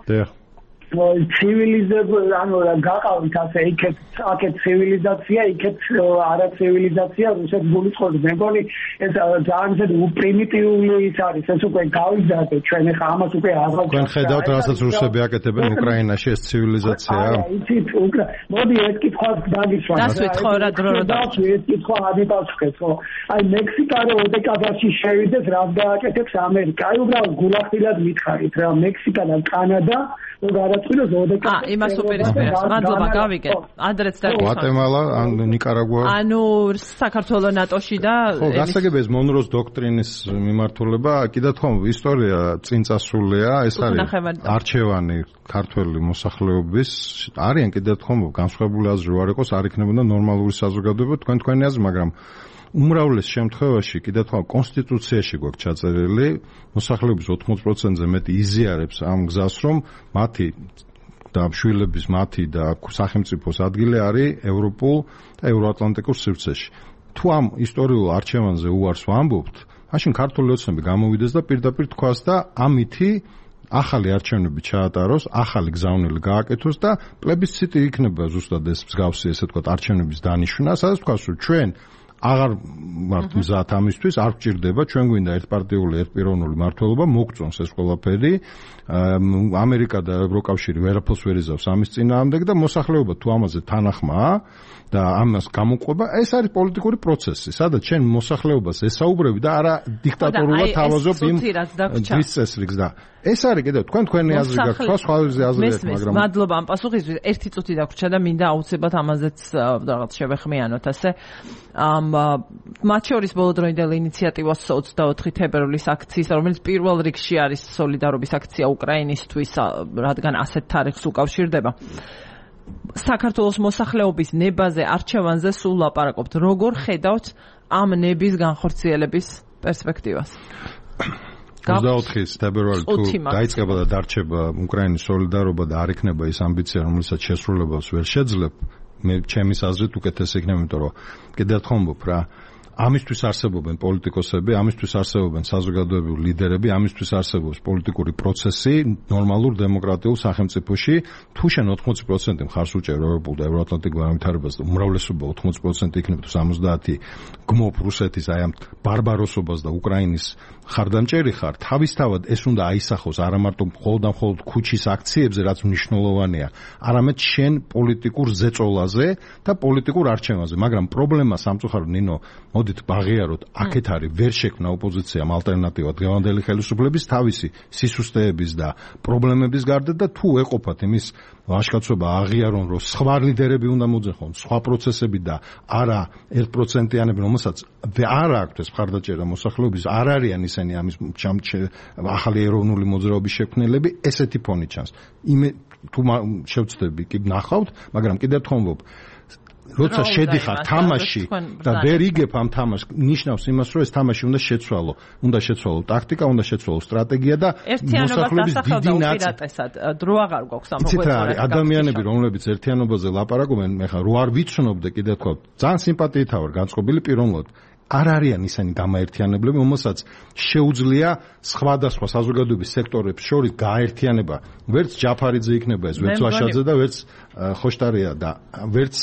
ცივილიზებული ანუ გაყავით ასე იქეთ აქეთ ცივილიზაცია იქეთ არა ცივილიზაცია რუსეთს გულისხმობს მე მგონი ეს ძალიან ისეთი უპრიმიტიული ის არის ეს უკვე გავიზარდეთ ჩვენ ახლა ამას უკვე აღარ თქვენ ხედავთ რასაც რუსები აკეთებენ უკრაინაში ეს ცივილიზაციაა არა იცით უკრა მოდი ეს კითხვა დაგისვამ დასვით ხო რა დრო რა დავსვი ეს კითხვა ადიპასუხეთ ხო აი მექსიკა რო ოდეკადაში შევიდეს რა დააკეთებს ამერიკა აი უბრალოდ გულახდილად მითხარით რა მექსიკა და კანადა აა იმას უპირისპირებს მადლობა გავიგეთ ადრეც და გვატემალა ან ნიკარაგუა ანუ საქართველოს ნატოში და ხო გასაგებია ეს მონროს დოქტრინის მიმართულება კიდევ თქო ისტორია წინ წასულია ეს არის არჩევანი ქართველი მოსახლეობის არიან კიდევ თქო განსხვავებული აზრი არ იყოს არ იქნებოდა ნორმალური საზოგადოება თქვენ თქვენი აზრი მაგრამ უმრავლეს შემთხვევაში კიდევ თქვა კონსტიტუციაში გვაქვს ჩაწერილი მოსახლეობის ოთხმოცდ პროცენტზე მეტი იზიარებს ამ გზას რომ მათი და შვილების მათი და სახელმწიფოს ადგილი არის ევროპულ და ევროატლანტიკურ სივრცეში თუ ამ ისტორიულ არჩევანზე უარს ვამბობთ მაშინ ქართული ოცნები გამოვიდეს და პირდაპირ თქვას და ამითი ახალი არჩევნები ჩაატაროს, ახალი გზავნილი გააკეთოს და პლებისციტი იქნება ზუსტად ეს მსგავსი ესე თქვა არჩევნების დანიშვნა, სადაც თქვას რომ ჩვენ აღარ ვართ მზად ამისთვის, არ გვჭირდება, ჩვენ გვინდა ერთპარტიული, ერთპიროვნული მმართველობა, მოგწონს ეს ყველაფერი. ამერიკა და ევროკავშირი ვერაფერს ვერ იზავს ამის წინააღმდეგ და მოსახლეობა თუ ამაზე თანახმაა და ამას გამოყვება, ეს არის პოლიტიკური პროცესი, სადაც ჩვენ მოსახლეობას ესაუბრები და არა დიქტატორულად თავაზობ იმ ძვის წესრიგს და ეს არის კიდევ თქვენ თქვენი აზრი გაქვთ, სხვა სხვა აზრი აქვს, მაგრამ მადლობა ამ პასუხისთვის. ერთი წუთი დაგვრჩა და მინდა აუცილებლად ამაზეც რაღაც შევეხმიანოთ, ასე. ამ მათ შორის ბოლოდროინდელი ინიციატივას ოცდაოთხი თებერვლის აქციის, რომელიც პირველ რიგში არის სოლიდარობის აქცია უკრაინისთვის, რადგან ასეთ თარიღს უკავშირდება. საქართველოს მოსახლეობის ნებაზე არჩევანზე სულ ლაპარაკობთ. როგორ ხედავთ ამ ნების განხორციელების პერსპექტივას? ოცდაოთხის თებერვალი თუ დაიწყება და დარჩება უკრაინის სოლიდარობა და არ იქნება ის ამბიცია, რომელსაც შესრულებას ვერ შეძლებ, მე ჩემის აზრით უკეთესი იქნება, იმიტომ რომ კიდევ ერთხელ ვამბობ რა, ამისთვის არსებობენ პოლიტიკოსები, ამისთვის არსებობენ საზოგადოებრივი ლიდერები, ამისთვის არსებობს პოლიტიკური პროცესი ნორმალურ დემოკრატიულ სახელმწიფოში. თუ შენ ოთხმოცი პროცენტი მხარს უჭერ ევროპულ და ევროატლანტიკურ განვითარებას და უმრავლესობა ოთხმოცი პროცენტი იქნება თუ სამოცდაათი გმობ რუსეთის აი ამ ბარბაროსობას და უკრაინის ხარდამჭერი ხარ, თავისთავად ეს უნდა აისახოს არა მარტო მხოლოდ და მხოლოდ ქუჩის აქციებზე, რაც მნიშვნელოვანია, არამედ შენ პოლიტიკურ ზეწოლაზე და პოლიტიკურ არჩევანზე. მაგრამ პრობლემა სამწუხაროდ ნინო მოდით ბაღიაროთ, აქეთ არის ვერ შექმნა ოპოზიციამ ალტერნატივა დღევანდელი ხელისუფლების თავისი სისუსტეების და პრობლემების გარდა და თუ ეყოფათ იმის ვაჟკაცობა აღიარონ, რომ სხვა ლიდერები უნდა მოძეხონ, სხვა პროცესები და არა ერთ პროცენტიანები, რომელსაც არ აქვთ ეს მხარდაჭერა მოსახლეობის, არ არიან ისინი ამის ახალი ეროვნული მოძრაობის შექმნელები, ესეთი ფონი ჩანს. იმე თუ შევწდები კი ნახავთ, მაგრამ კიდევ ერთხელ ვამბობ, როცა შედიხარ თამაში და ვერ იგებ ამ თამაშს, ნიშნავს იმას, რომ ეს თამაში უნდა შეცვალო, უნდა შეცვალო ტაქტიკა, უნდა შეცვალო სტრატეგია და მოსახლეობის დიდი ნაწილად დრო აღარ გვაქვს ამ მოგვეწოდეს. ადამიანები, რომლებიც ერთიანობაზე ლაპარაკობენ, მე ხა რო არ ვიცნობდე კიდე თქვა, ძალიან სიმპათიით ვარ განწყობილი პიროვნულად. არ არიან ისინი გამაერთიანებლები, რომელსაც შეუძლია სხვადასხვა საზოგადოების სექტორებს შორის გაერთიანება. ვერც ჯაფარიძე იქნება ეს, ვერც ვაშაძე და ვერც ხოშტარია და ვერც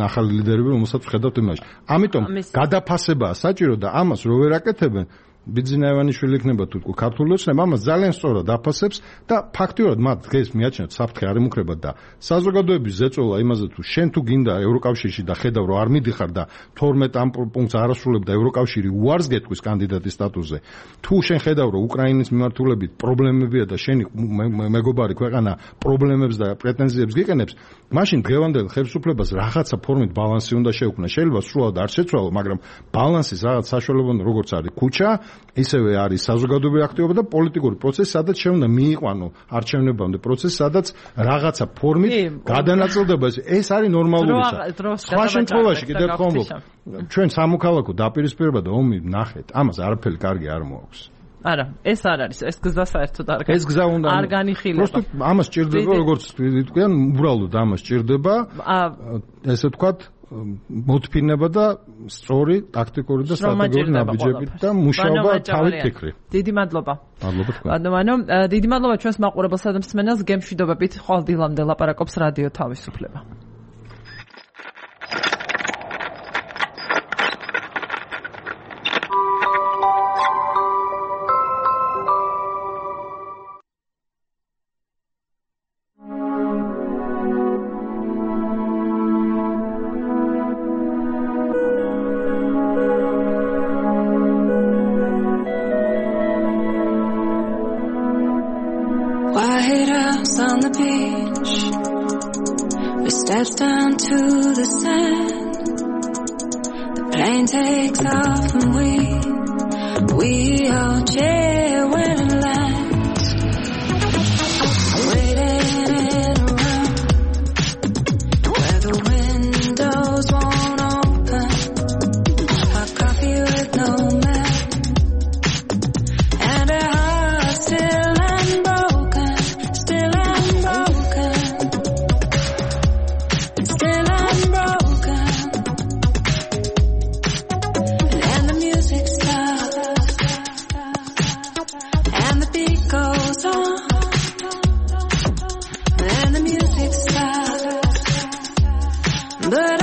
ახალი ლიდერები, რომელსაც ვხედავთ იმაში. ამიტომ გადაფასებაა საჭირო და ამას რო ვერ აკეთებენ, ბიძინა ივანიშვილი იქნება თუ ქართული ოცნება, ამას ძალიან სწორად აფასებს და ფაქტიურად მათ დღეს მიაჩნიათ საფრთხე არ ემუქრება და საზოგადოების ზეწოლა იმაზე თუ შენ თუ გინდა ევროკავშირში და ხედავ რომ არ მიდიხარ და თორმეტ ამ პუნქტს არ ასრულებ და ევროკავშირი უარს გეტყვის კანდიდატის სტატუსზე, თუ შენ ხედავ რომ უკრაინის მიმართულებით პრობლემებია და შენი მეგობარი ქვეყანა პრობლემებს და პრეტენზიებს გიყენებს, მაშინ დღევანდელ ხელისუფლებას რაღაცა ფორმით ბალანსი უნდა შეუქმნა. შეიძლება სრულად არ შეცვალო, მაგრამ ბალანსის რაღაც საშუალება უნდა როგორც არის ქუჩა, ისევე არის საზოგადოებრივი აქტივობა და პოლიტიკური პროცესი, სადაც შეუნდა მიიყვანო არჩევნებამდე პროცესი, სადაც რაღაცა ფორმით გადანაწილდება. ეს არის ნორმალური. სხვა შემთხვევაში კიდევ ერთხელ ვამბობ, ჩვენ სამოქალაქო დაპირისპირება და ომი ნახეთ, ამას არაფერი კარგი არ მოაქვს. არა, ეს არ არის, ეს გზა საერთოდ არ ეს გზა უნდა არ განიხილება. просто ამას ჭირდება, როგორც თქვენ, უბრალოდ ამას ჭირდება. ესე ვთქვათ, მოთფინება და სწორი ტაქტიკური და სტრატეგიული ნაბიჯებით და მუშაობა თავით ფიქრი. დიდი მადლობა. მადლობა თქვენ. ანუ დიდი მადლობა ჩვენს მაყურებელსა და მსმენელს, გემშვიდობებით ხვალ დილამდე ლაპარაკობს რადიო თავისუფლება. On the beach, we step down to the sand. The plane takes off and we, we all cheer when it lands. Waiting in a room where the windows won't open. Hot coffee with no milk and a heart still unbroken. Still unbroken, still unbroken, and the music stops, and the beat goes on, and the music stops, but